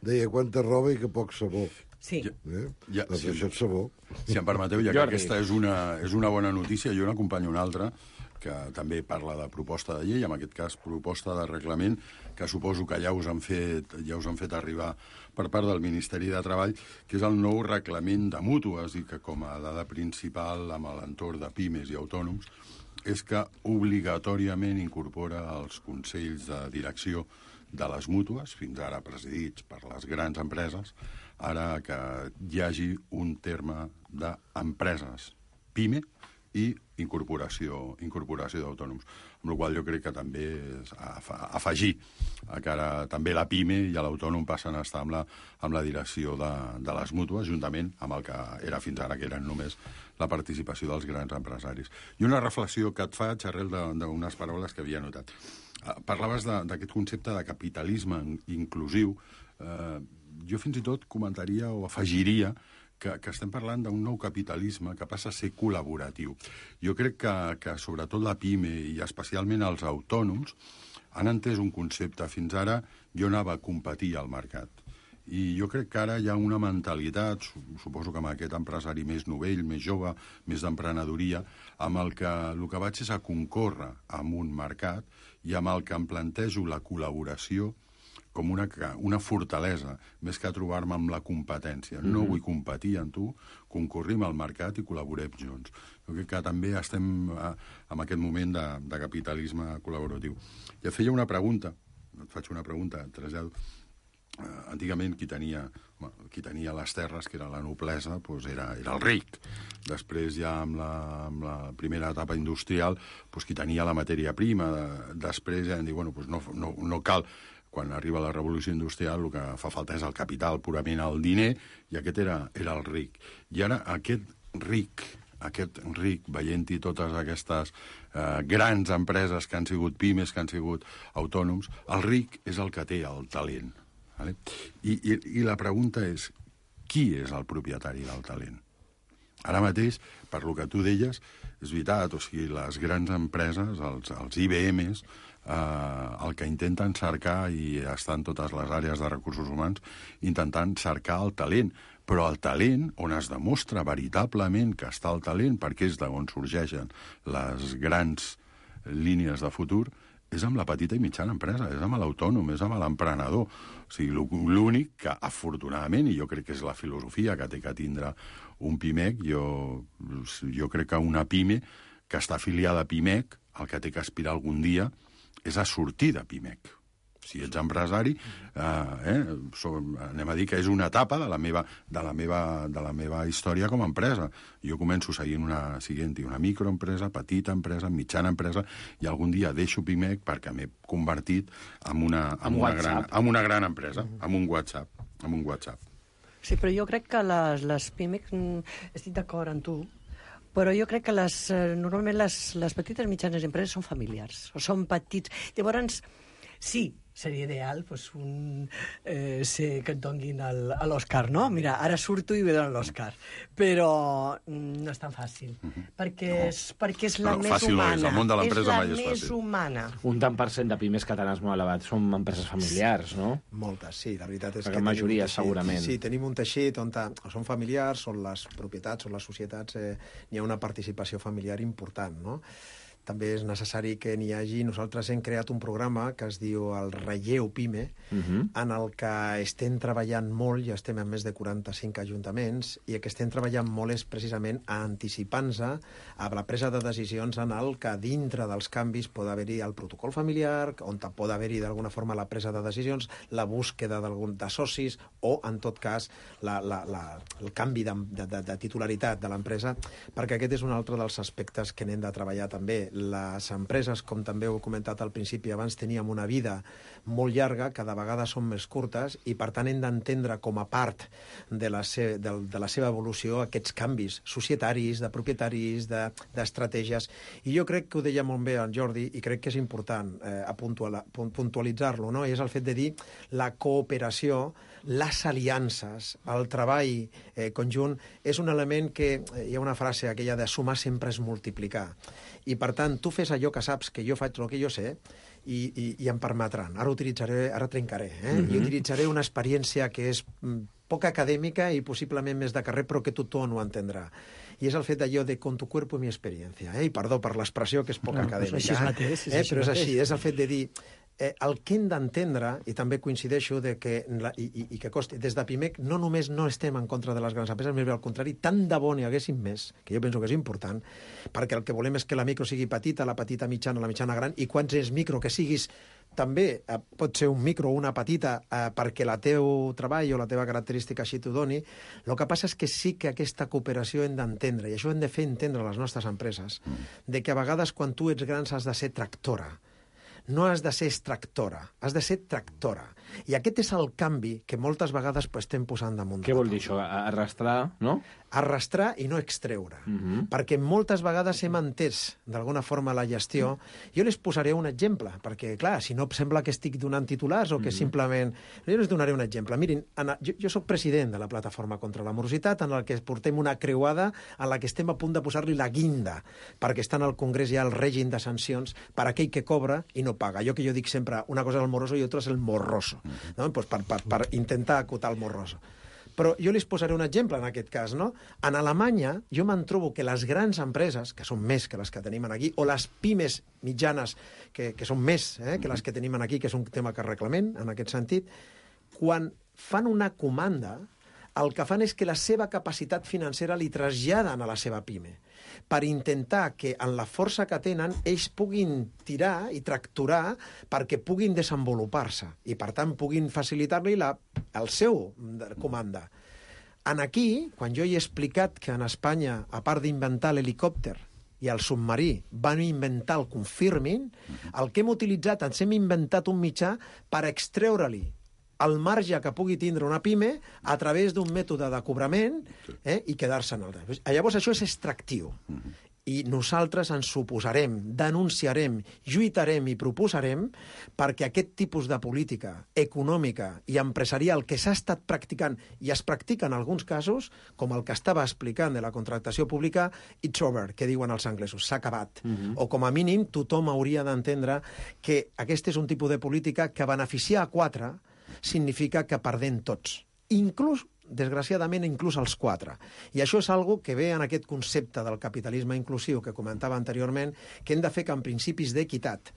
deia quanta roba i que poc sabó. Sí. Doncs això és sabó. Si em permeteu, ja que aquesta és una bona notícia, jo n'acompanyo una altra que també parla de proposta de llei, en aquest cas proposta de reglament, que suposo que ja us han fet arribar per part del Ministeri de Treball, que és el nou reglament de mútues, i que com a dada principal amb l'entorn de pimes i autònoms és que obligatòriament incorpora els consells de direcció de les mútues, fins ara presidits per les grans empreses, ara que hi hagi un terme d'empreses PIME i incorporació d'autònoms. Amb la qual jo crec que també és afegir que ara també la PIME i l'autònom passen a estar amb la direcció de les mútues, juntament amb el que era fins ara, que eren només la participació dels grans empresaris. I una reflexió que et faig arrel d'unes paraules que havia notat. Parlaves d'aquest concepte de capitalisme inclusiu. Jo fins i tot comentaria o afegiria que estem parlant d'un nou capitalisme que passa a ser col·laboratiu. Jo crec que sobretot la PIME i especialment els autònoms han entès un concepte. Fins ara jo anava a competir al mercat. I jo crec que ara hi ha una mentalitat, suposo que amb aquest empresari més novell, més jove, més d'emprenedoria, amb el que vaig és a concórrer amb un mercat i amb el que em plantejo la col·laboració com una fortalesa, més que trobar-me amb la competència. No vull competir amb tu, concorrim al mercat i col·laborem junts. Jo crec que també estem en aquest moment de capitalisme col·laboratiu. I et feia una pregunta, et faig una pregunta, et trasllado. Antigament qui tenia les terres, que era la noblesa, era el ric. Després ja amb la primera etapa industrial, qui tenia la matèria prima. Després ja hem dit, no cal. Quan arriba la revolució industrial el que fa falta és el capital, purament el diner, i aquest era el ric. I ara aquest ric, veient-hi totes aquestes grans empreses que han sigut pimes, que han sigut autònoms, el ric és el que té el talent. Vale? I la pregunta és, qui és el propietari del talent? Ara mateix, per lo que tu deies, és veritat, les grans empreses, els IBMs, el que intenten cercar, i estan totes les àrees de recursos humans, intentant cercar el talent. Però el talent, on es demostra veritablement que està el talent, perquè és d'on sorgeixen les grans línies de futur, és amb la petita i mitjana empresa, és amb l'autònom, és amb l'emprenedor. L'únic que, afortunadament, i jo crec que és la filosofia que té que tindre un PIMEC, jo crec que una PIME que està afiliada a PIMEC, el que té que aspirar algun dia és a sortir de PIMEC. Si ets empresari, anem a dir que és una etapa de la meva història com a empresa. Jo començo seguint una microempresa, petita empresa, mitjana empresa, i algun dia deixo PIMEC perquè m'he convertit en una gran empresa, amb un WhatsApp. Sí, però jo crec que les pimes, estic d'acord amb tu, però jo crec que normalment les petites i mitjanes empreses són familiars, o són petits. Llavors, sí, seria ideal que et donin l'Òscar, no? Mira, ara surto i me donen l'Òscar. Però no és tan fàcil, perquè és la més humana. El món de l'empresa mai és fàcil. És la més humana. Un tant per cent de pimes catalanes molt elevat són empreses familiars, no? Moltes, sí, la veritat és perquè que... la majoria, segurament. Sí, tenim un teixit on són familiars, són les propietats, són les societats, n'hi ha una participació familiar important, no? També és necessari que n'hi hagi... Nosaltres hem creat un programa que es diu el Relleu Pime, en el que estem treballant molt, ja estem en més de 45 ajuntaments, i el que estem treballant molt és precisament a anticipar-nos a la presa de decisions en el que dintre dels canvis pot haver-hi el protocol familiar, on pot haver-hi d'alguna forma la presa de decisions, la búsqueda de socis o, en tot cas, el canvi de titularitat de l'empresa, perquè aquest és un altre dels aspectes que n'hem de treballar també. Les empreses, com també heu comentat al principi, abans teníem una vida molt llarga, cada vegada són més curtes, i per tant hem d'entendre com a part de la seva evolució aquests canvis societaris, de propietaris, d'estratègies. I jo crec que ho deia molt bé el Jordi, i crec que és important puntualitzar-lo, no? I és el fet de dir la cooperació, les aliances, el treball conjunt, és un element que... Hi ha una frase, aquella de sumar sempre és multiplicar. I, per tant, tu fes allò que saps, que jo faig el que jo sé, i em permetran. Ara trencaré. I utilitzaré una experiència que és poc acadèmica i possiblement més de carrer, però que tothom ho entendrà. I és el fet d'allò de con tu cuerpo mi experiencia. I perdó per l'expressió, que és poc acadèmica. Però és així, és el fet de dir... el que hem d'entendre, i també coincideixo que costi, des de PIMEC no només no estem en contra de les grans empreses, més bé al contrari, tant de bo n'hi haguessin més, que jo penso que és important, perquè el que volem és que la micro sigui petita, la petita mitjana, la mitjana gran, i quants és micro que siguis, també pot ser un micro o una petita perquè la teu treball o la teva característica així t'ho doni. El que passa és que sí que aquesta cooperació hem d'entendre, i això hem de fer entendre a les nostres empreses, de que a vegades quan tu ets gran has de ser tractora. No has de ser extractora, has de ser tractora. I aquest és el canvi que moltes vegades estem posant damunt. Què vol dir això? Arrastrar, no? Arrastrar i no extreure. Perquè moltes vegades hem entès d'alguna forma la gestió. Jo les posaré un exemple, perquè, clar, si no sembla que estic donant titulars o que simplement... Jo les donaré un exemple. Mirin, jo soc president de la Plataforma contra la Morositat, en la que portem una creuada en la que estem a punt de posar-li la guinda, perquè està en el Congrés ja el règim de sancions per aquell que cobra i no paga. Allò que jo dic sempre, una cosa és el moroso i altra és el morroso, no? Pues per intentar acotar el morroso. Però jo les posaré un exemple en aquest cas, no? En Alemanya jo me'n trobo que les grans empreses, que són més que les que tenim aquí, o les pimes mitjanes, que són més que les que tenim aquí, que és un tema que reclamem en aquest sentit, quan fan una comanda, el que fan és que la seva capacitat financera li traslladen a la seva pime, per intentar que en la força que tenen ells puguin tirar i tracturar perquè puguin desenvolupar-se i, per tant, puguin facilitar-li el seu comanda. Aquí, quan jo he explicat que en Espanya, a part d'inventar l'helicòpter i el submarí, van inventar el Confirming, el que hem utilitzat, ens hem inventat un mitjà per extreure-li el marge que pugui tindre una pime a través d'un mètode de cobrament i quedar-se en el... Llavors això és extractiu. I nosaltres ens oposarem, denunciarem, lluitarem i proposarem perquè aquest tipus de política econòmica i empresarial que s'ha estat practicant i es practica en alguns casos, com el que estava explicant de la contractació pública, it's over, que diuen els anglesos, s'ha acabat. O com a mínim tothom hauria d'entendre que aquest és un tipus de política que beneficia a 4 significa que perdem tots. Desgraciadament, inclús els 4. I això és algo que ve en aquest concepte del capitalisme inclusiu que comentava anteriorment, que hem de fer que en principis d'equitat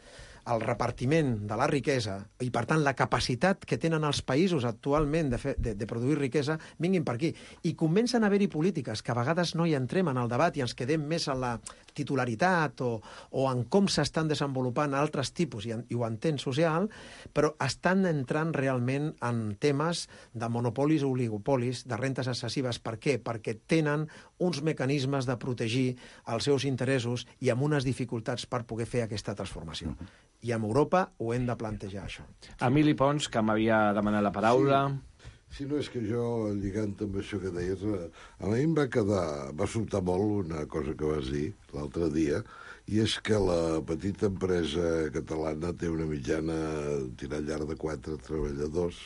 el repartiment de la riquesa i, per tant, la capacitat que tenen els països actualment de produir riquesa vinguin per aquí. I comencen a haver-hi polítiques que a vegades no hi entrem en el debat i ens quedem més en la titularitat o en com s'estan desenvolupant altres tipus, i ho entén social, però estan entrant realment en temes de monopolis o oligopolis, de rentes excessives. Per què? Perquè tenen uns mecanismes de protegir els seus interessos i amb unes dificultats per poder fer aquesta transformació. I amb Europa ho hem de plantejar, això. Emili Pons, que m'havia demanat la paraula. Sí, no, és que jo, lligant amb això que deies, a mi em va sobtar molt una cosa que vas dir l'altre dia, i és que la petita empresa catalana té una mitjana tirant llarg de 4 treballadors,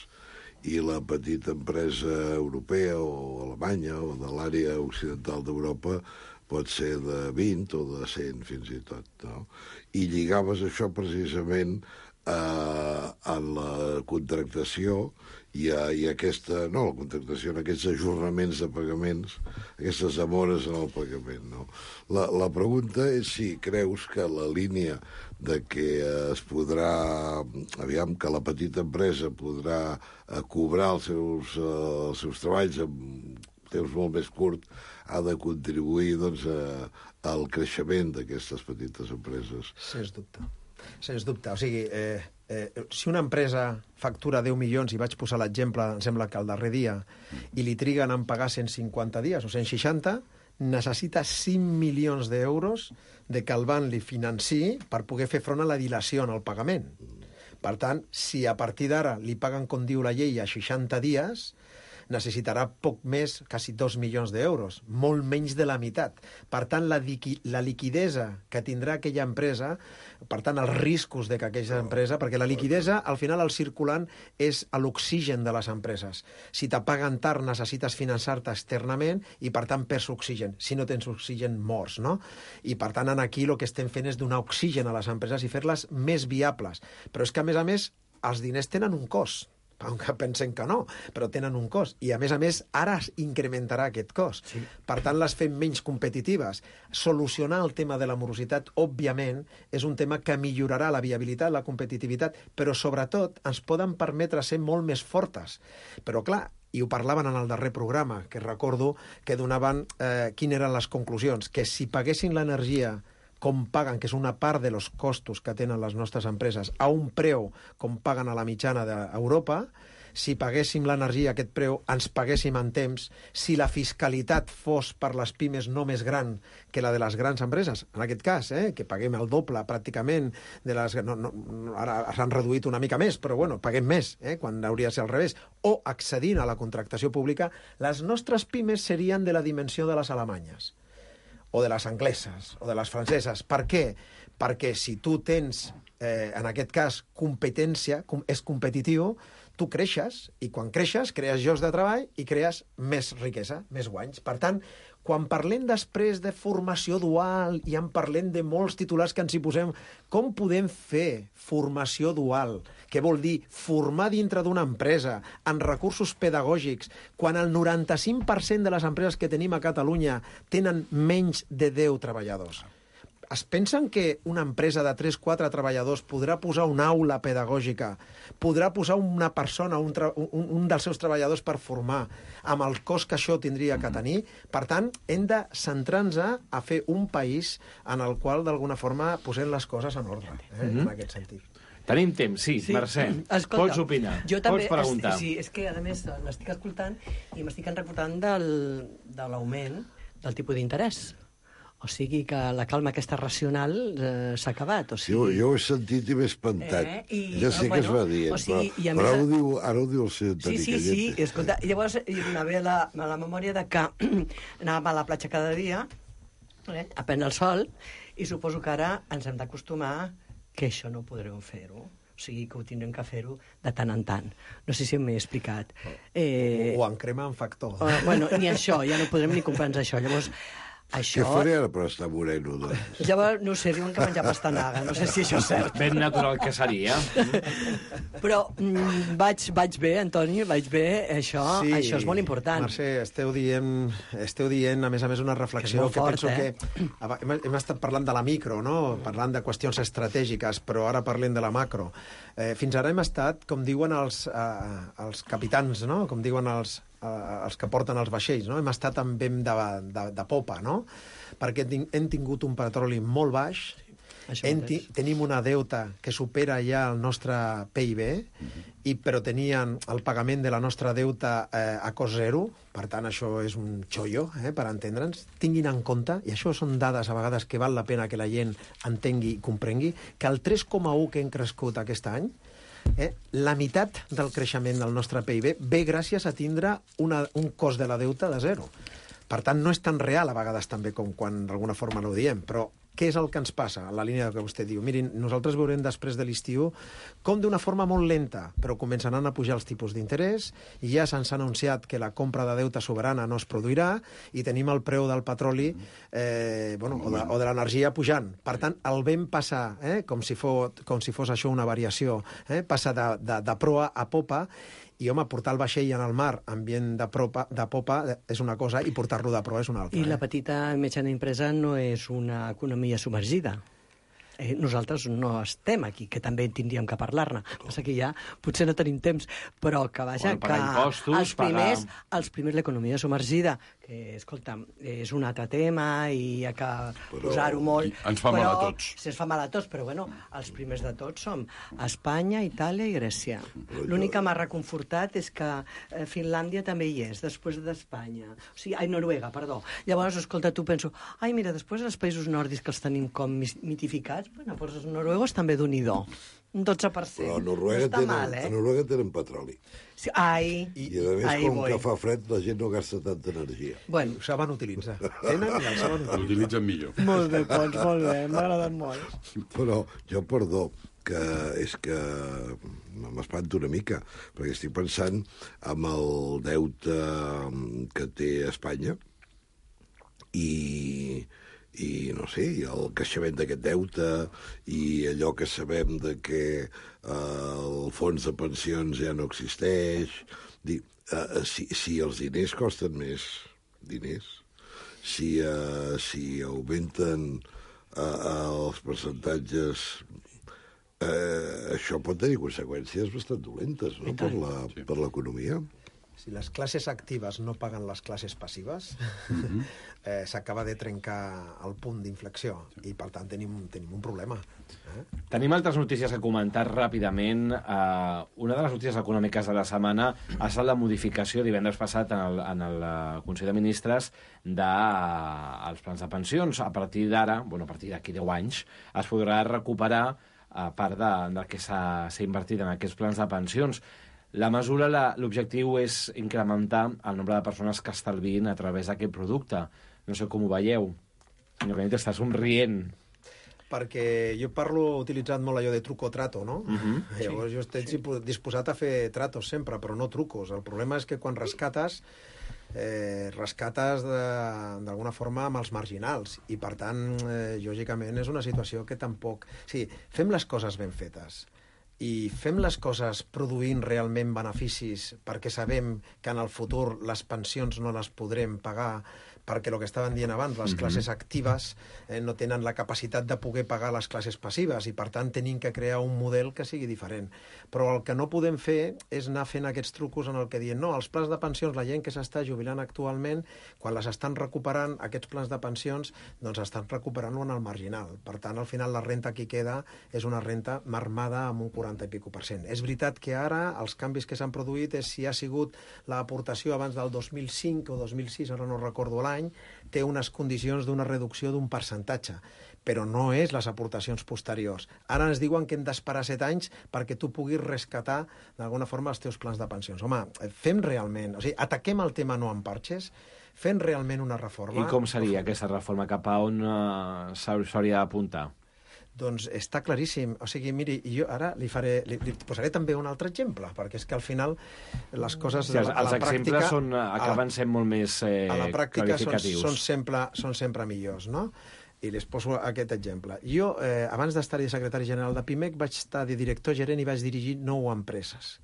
i la petita empresa europea o alemanya o de l'àrea occidental d'Europa pot ser de 20 o de 100 fins i tot, no? I lligaves això precisament a la contractació i aquesta, no, la contractació, en aquests ajornaments de pagaments, aquestes demores en el pagament, no? La pregunta és si creus que la línia de que es podrà, aviam, que la petita empresa podrà cobrar els seus treballs en temps molt més curt, ha de contribuir, doncs, al creixement d'aquestes petites empreses. Sens dubte. Sens dubte. O sigui, si una empresa factura 10 milions, i vaig posar l'exemple, em sembla que el darrer dia, i li triguen en pagar 150 dies o 160, necessita 5 milions d'euros de que el banc li financi per poder fer front a la dilació en el pagament. Per tant, si a partir d'ara li paguen, com diu la llei, a 60 dies, necessitarà poc més, quasi 2 milions d'euros, molt menys de la meitat. Per tant, la liquidesa que tindrà aquella empresa, per tant, els riscos de que aquella empresa, perquè la liquidesa, al final, el circulant és l'oxigen de les empreses. Si te paguen tard, necessites finançar-te externament i, per tant, perds oxigen. Si no tens oxigen, mors, no? I, per tant, aquí el que estem fent és donar oxigen a les empreses i fer-les més viables. Però és que, a més, els diners tenen un cost. Aunque pensen que no, però tenen un cost. I, a més, ara es incrementarà aquest cost. Sí. Per tant, les fem menys competitives. Solucionar el tema de la morositat, òbviament, és un tema que millorarà la viabilitat, la competitivitat, però, sobretot, ens poden permetre ser molt més fortes. Però, clar, i ho parlaven en el darrer programa, que recordo que donaven quines eren les conclusions, que si paguessin l'energia com paguen, que és una part de los costos que tenen les nostres empreses, a un preu com paguen a la mitjana d'Europa, si paguéssim l'energia a aquest preu, ens paguéssim en temps, si la fiscalitat fos per les pimes no més gran que la de les grans empreses, en aquest cas, que paguem el doble pràcticament, de les, ara s'han reduït una mica més, però bueno, paguem més, quan hauria de ser al revés, o accedint a la contractació pública, les nostres pimes serien de la dimensió de les alemanyes, o de les angleses, o de les franceses. Per què? Perquè si tu tens, en aquest cas, competència, és competitiu, tu creixes, i quan creixes, crees llocs de treball i crees més riquesa, més guanys. Per tant, quan parlem després de formació dual, i en parlem de molts titulars que ens hi posem, com podem fer formació dual? Què vol dir formar dintre d'una empresa, en recursos pedagògics, quan el 95% de les empreses que tenim a Catalunya tenen menys de 10 treballadors? Es pensen que una empresa de 3-4 treballadors podrà posar una aula pedagògica, podrà posar una persona, un dels seus treballadors per formar, amb el cost que això tindria que tenir? Per tant, hem de centrar-nos a fer un país en el qual, d'alguna forma, posem les coses en ordre, en aquest sentit. Tenim temps, sí. Mercè, escolta, pots opinar, pots preguntar. Sí, és que, a més, l'estic escoltant i m'estic recordant de l'augment del tipus d'interès. O sigui que la calma aquesta racional s'ha acabat. O sigui... Jo ho he sentit i m'he espantat. Ja sé que es va dir, però ara ho diu el senyor Toni Callete. Sí, escolta, llavors me ve a la memòria de que anàvem a la platja cada dia a prendre el sol, i suposo que ara ens hem d'acostumar que això no podrem fer-ho. O sigui, que ho tindrem que fer-ho de tant en tant. No sé si m'he explicat. O en crema en factor. Bueno, ni això, ja no podrem ni comprar-nos això. Llavors, això... Què faré ara per estar moreno, doncs? Llavors, no sé, diuen que menjar pastanaga, no sé si això és cert. Ben natural que seria. Però vaig bé, Antoni, vaig bé, això és molt important. Mercè, esteu dient, a més, una reflexió que penso que... Hem estat parlant de la micro, no? Parlant de qüestions estratègiques, però ara parlem de la macro. Fins ara hem estat, com diuen els capitans, no? Com diuen els que porten els vaixells, no? Hem estat amb vent de popa, no? Perquè hem tingut un petroli molt baix, tenim una deuta que supera ja el nostre PIB, però tenien el pagament de la nostra deuta a cost zero, per tant, això és un xollo, per entendre'ns. Tinguin en compte, i això són dades a vegades que val la pena que la gent entengui i comprengui, que el 3,1 que hem crescut aquest any, La meitat del creixement del nostre PIB ve gràcies a tindre un cost de la deuta de zero. Per tant, no és tan real a vegades també com quan d'alguna forma no ho diem, però què és el que ens passa? En la línia que vostè diu, mirin, nosaltres veurem després de l'estiu com d'una forma molt lenta, però començaran a pujar els tipus d'interès, i ja se'ns ha anunciat que la compra de deute soberana no es produirà, i tenim el preu del petroli o de l'energia pujant. Per tant, el vam passar, com si fos això una variació, passar de proa a popa, i, home, portar el vaixell en el mar ambient de popa és una cosa i portar-lo de proa és una altra. I la petita i mitjana empresa no és una economia submergida. Nosaltres no estem aquí, que també tindríem que parlar-ne. Passa que ja potser no tenim temps, però que vaja, que els primers l'economia submergida, que, escolta, és un altre tema i hi ha que posar-ho molt. Ens fa mal a tots. Ens fa mal a tots, però bueno, els primers de tots som Espanya, Itàlia i Grècia. L'únic que m'ha reconfortat és que Finlàndia també hi és, després d'Espanya. O sigui, Noruega, perdó. Llavors, escolta, tu penso, mira, després els països nòrdics que els tenim com mitificats, bueno, doncs els noruegos també d'un-i-do. Un 12%. Però a Noruega tenen petroli. Sí, I a més, com que fa fred, la gent no gasta tanta energia. Bueno, ho saben utilitzar. Tenen i el saben utilitzar. L'utilitzen millor. Molt bé, Pons, molt bé. M'ha agradat molt. Però jo, perdó, que és que m'espanto una mica, perquè estic pensant en el deute que té Espanya i no sé, el creixement d'aquest deute i allò que sabem de que el fons de pensions ja no existeix. Si els diners costen més diners, si augmenten els percentatges, això pot tenir conseqüències bastant dolentes, no?, per l'economia. Si les classes actives no paguen les classes passives, s'acaba de trencar el punt d'inflexió i, per tant, tenim un problema. Tenim altres notícies a comentar ràpidament. Una de les notícies econòmiques de la setmana ha estat la modificació divendres passat en el Consell de Ministres dels plans de pensions. A partir d'ara, a partir d'aquí 10 anys, es podrà recuperar part del que s'ha invertit en aquests plans de pensions. La mesura, l'objectiu és incrementar el nombre de persones que estalviïn a través d'aquest producte. No sé com ho veieu. Senyor Canet, està somrient. Perquè jo he utilitzat molt allò de truco o trato, no? Llavors jo estic disposat a fer tratos sempre, però no trucos. El problema és que quan rescates d'alguna forma amb els marginals i, per tant, lògicament és una situació que tampoc... Sí, fem les coses ben fetes i fem les coses produint realment beneficis perquè sabem que en el futur les pensions no les podrem pagar perquè el que estaven dient abans, les classes actives no tenen la capacitat de poder pagar les classes passives i, per tant, tenim que crear un model que sigui diferent. Però el que no podem fer és anar fent aquests trucos en el que diuen no, els plans de pensions, la gent que s'està jubilant actualment, quan les estan recuperant, aquests plans de pensions, doncs estan recuperant-ho en el marginal. Per tant, al final, la renta que queda és una renta marmada amb un 40 i pico %. És veritat que ara els canvis que s'han produït és si ha sigut l'aportació abans del 2005 o 2006, ara no recordo l'any, té unes condicions d'una reducció d'un percentatge, però no és les aportacions posteriors. Ara ens diuen que hem d'esperar 7 anys perquè tu puguis rescatar d'alguna forma els teus plans de pensions. Home, fem realment... O sigui, ataquem el tema no amb parxes, fem realment una reforma... I com seria aquesta reforma? Cap a on s'hauria d'apuntar? Doncs està claríssim. O sigui, miri, jo ara li posaré també un altre exemple, perquè és que al final les coses... Sí, els exemples acaben sent molt més clarificatius. A la pràctica són sempre millors, no? I les poso aquest exemple. Jo, abans d'estar-hi secretari general de PIMEC, vaig estar de director gerent i vaig dirigir 9 empreses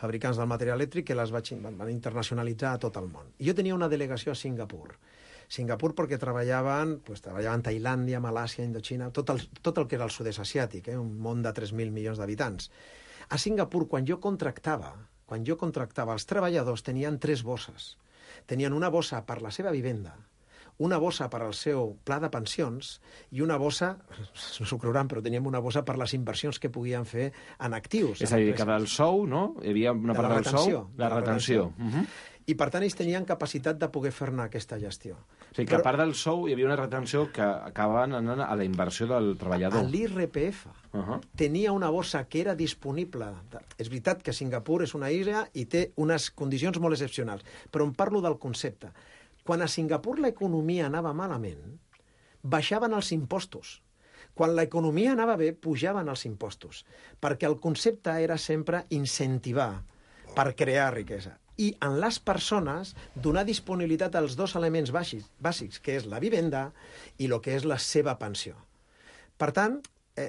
fabricants del material elèctric que les van internacionalitzar a tot el món. I jo tenia una delegació a Singapur perquè treballaven a Tailàndia, Malàsia, Indoxina, tot el que era el sud-est asiàtic, un món de 3.000 milions d'habitants. A Singapur, quan jo contractava els treballadors, tenien 3 bosses. Tenien una bossa per la seva vivenda, una bossa per al seu pla de pensions i una bossa, no s'ho creuran, però teníem una bossa per les inversions que podien fer en actius. És a dir, que del sou, no? Hi havia una part del sou, la retenció. I, per tant, ells tenien capacitat de poder fer-ne aquesta gestió. O sigui, que a part del sou hi havia una retenció que acabaven anant a la inversió del treballador. L'IRPF tenia una bossa que era disponible. És veritat que Singapur és una illa i té unes condicions molt excepcionals, però em parlo del concepte. Quan a Singapur l'economia anava malament, baixaven els impostos. Quan l'economia anava bé, pujaven els impostos, perquè el concepte era sempre incentivar per crear riquesa. I en les persones donar disponibilitat als dos elements bàsics, que és la vivenda i el que és la seva pensió. Per tant,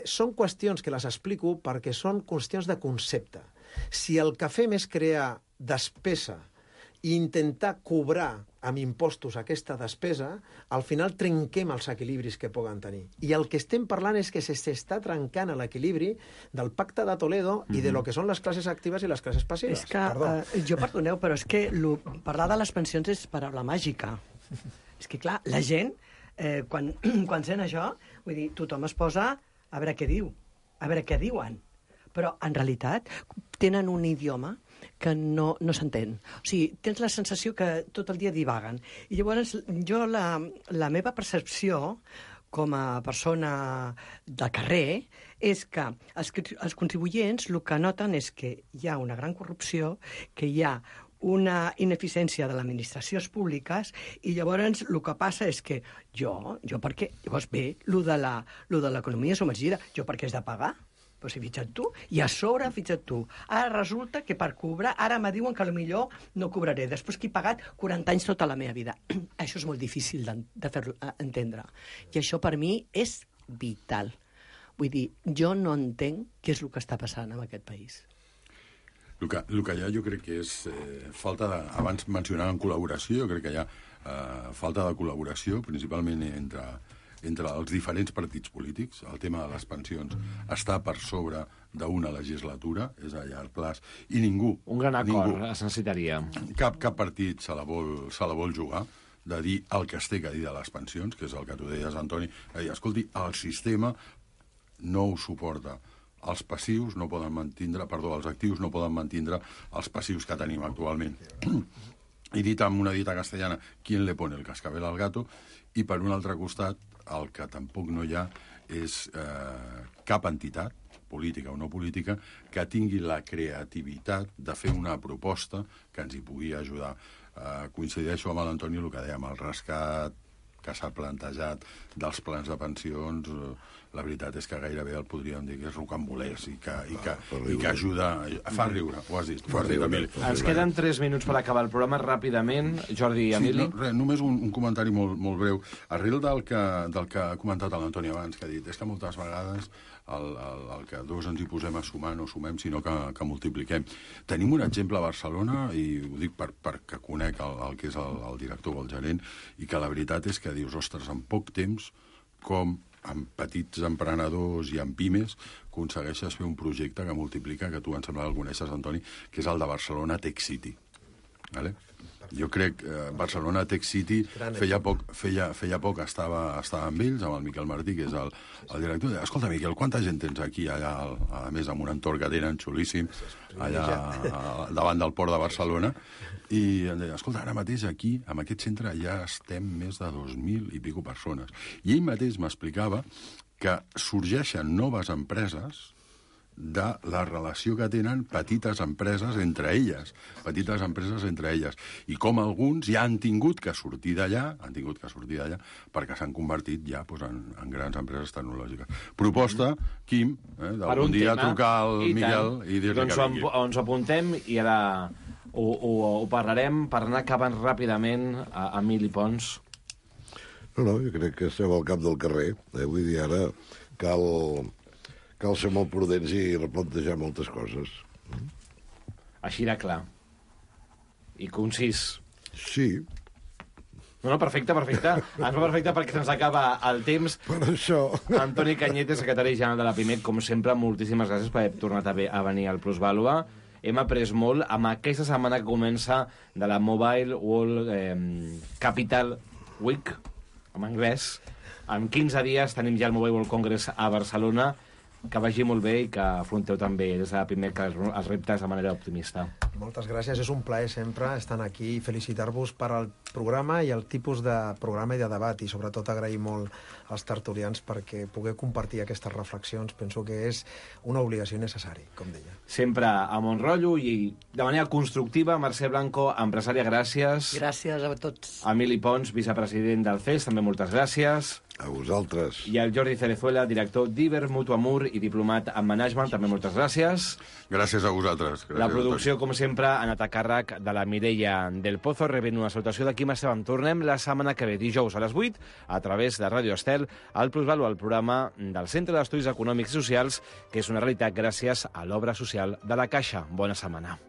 són qüestions que les explico perquè són qüestions de concepte. Si el que fem és crear despesa i intentar cobrar amb impostos aquesta despesa, al final trenquem els equilibris que poden tenir. I el que estem parlant és que s'està trencant l'equilibri del pacte de Toledo i de lo que són les classes actives i les classes passives. És que, jo perdoneu, però és que parlar de les pensions és paraula màgica. És que, clar, la gent, quan sent això, vull dir, tothom es posa a veure què diu, a veure què diuen. Però, en realitat, tenen un idioma que no s'entén. O sigui, tens la sensació que tot el dia divaguen. I llavors, jo, la meva percepció com a persona de carrer és que els contribuents el que noten és que hi ha una gran corrupció, que hi ha una ineficiència de les administracions públiques i llavors el que passa és que perquè... Llavors ve, lo de l'economia submergida, jo per què has de pagar? Però si fixa't tu, i a sobre fixa't tu. Ara resulta que per cobrar, ara me diuen que potser no cobraré, després que he pagat 40 anys tota la meva vida. Això és molt difícil de fer-lo entendre. I això per mi és vital. Vull dir, jo no entenc què és el que està passant en aquest país. El que hi ha jo crec que és falta de... Abans mencionàvem col·laboració, jo crec que hi ha falta de col·laboració, principalment entre els diferents partits polítics. El tema de les pensions està per sobre d'una legislatura, és a llarg plaç, i ningú... Un gran acord es necessitaria. Cap partit se la vol jugar de dir el que es té que dir de les pensions, que és el que tu deies, Antoni. Escolti, el sistema no ho suporta. Els passius no poden mantindre... Perdó, els actius no poden mantindre els passius que tenim actualment. I dit amb una dita castellana, ¿quién le pone el cascabel al gato? I per un altre costat, el que tampoc no hi ha és cap entitat, política o no política, que tingui la creativitat de fer una proposta que ens hi pugui ajudar. Coincideixo amb l'Antoni el que dèiem, el rescat que s'ha plantejat dels plans de pensions, la veritat és que gairebé el podríem dir que és rocambolès i que ajuda... Fa riure, ho has dit. Ens queden 3 minuts per acabar el programa ràpidament. Jordi i Emili. Sí, només un comentari molt breu. Arrel del que ha comentat l'Antoni abans, que ha dit és que moltes vegades el que dos ens hi posem a sumar no sumem, sinó que multipliquem. Tenim un exemple a Barcelona, i ho dic perquè conec el que és el director o el gerent, i que la veritat és que dius, ostres, en poc temps, com amb petits emprenedors i amb pimes, aconsegueixes fer un projecte que multiplica, que tu em sembla que el coneixes, Antoni, que és el de Barcelona Tech City. Vale? Jo crec que Barcelona Tech City feia poc estava amb ells, amb el Miquel Martí, que és el director. Escolta, Miquel, quanta gent tens aquí, allà, a més, amb un entorn que tenen xulíssim, allà davant del port de Barcelona? I em deia, escolta, ara mateix aquí, en aquest centre, ja estem més de 2.000 i pico persones. I ell mateix m'explicava que sorgeixen noves empreses de la relació que tenen petites empreses entre elles, i com alguns ja han tingut que sortir d'allà, perquè s'han convertit ja en grans empreses tecnològiques. Proposta, Quim, d'algun dia trucar al Miquel i dir-li que vingui. Doncs ens apuntem i ara ho parlarem per anar acabant ràpidament a Emili Pons. No, jo crec que estem al cap del carrer. Vull dir, ara cal ser molt prudents i replantejar moltes coses. Així de clar. I concís. Sí. No, perfecte. Ens va perfecte perquè se'ns acaba el temps. Per això. Antoni Cañete, secretari general de la PIMEC, com sempre, moltíssimes gràcies per haver tornat a venir al Plusvàlua. Hem après molt amb aquesta setmana que comença de la Mobile World Capital Week, en anglès. En 15 dies tenim ja el Mobile World Congress a Barcelona. que vagi molt bé i que afronteu també des de primer que els reptes de manera optimista. Moltes gràcies, és un plaer sempre estar aquí i felicitar-vos per al programa i el tipus de programa i de debat, i sobretot agrair molt als tertulians perquè poder compartir aquestes reflexions penso que és una obligació necessària, com deia. Sempre a bon rotllo i de manera constructiva. Mercè Blanco, empresària, gràcies. Gràcies a tots. Emili Pons, vicepresident del CES, també moltes gràcies. A vosaltres. I el Jordi Cerezuela, director d'Iber Mutu Amur i diplomat en management, també moltes gràcies. Gràcies a vosaltres. Gràcies La producció, com sempre, ha anat a càrrec de la Mireia del Pozo, rebent una salutació de Quim Esteban. Tornem la setmana que ve, dijous a les 8, a través de Ràdio Estel, al Plusvalor, el programa del Centre d'Estudis Econòmics i Socials, que és una realitat gràcies a l'obra social de la Caixa. Bona setmana.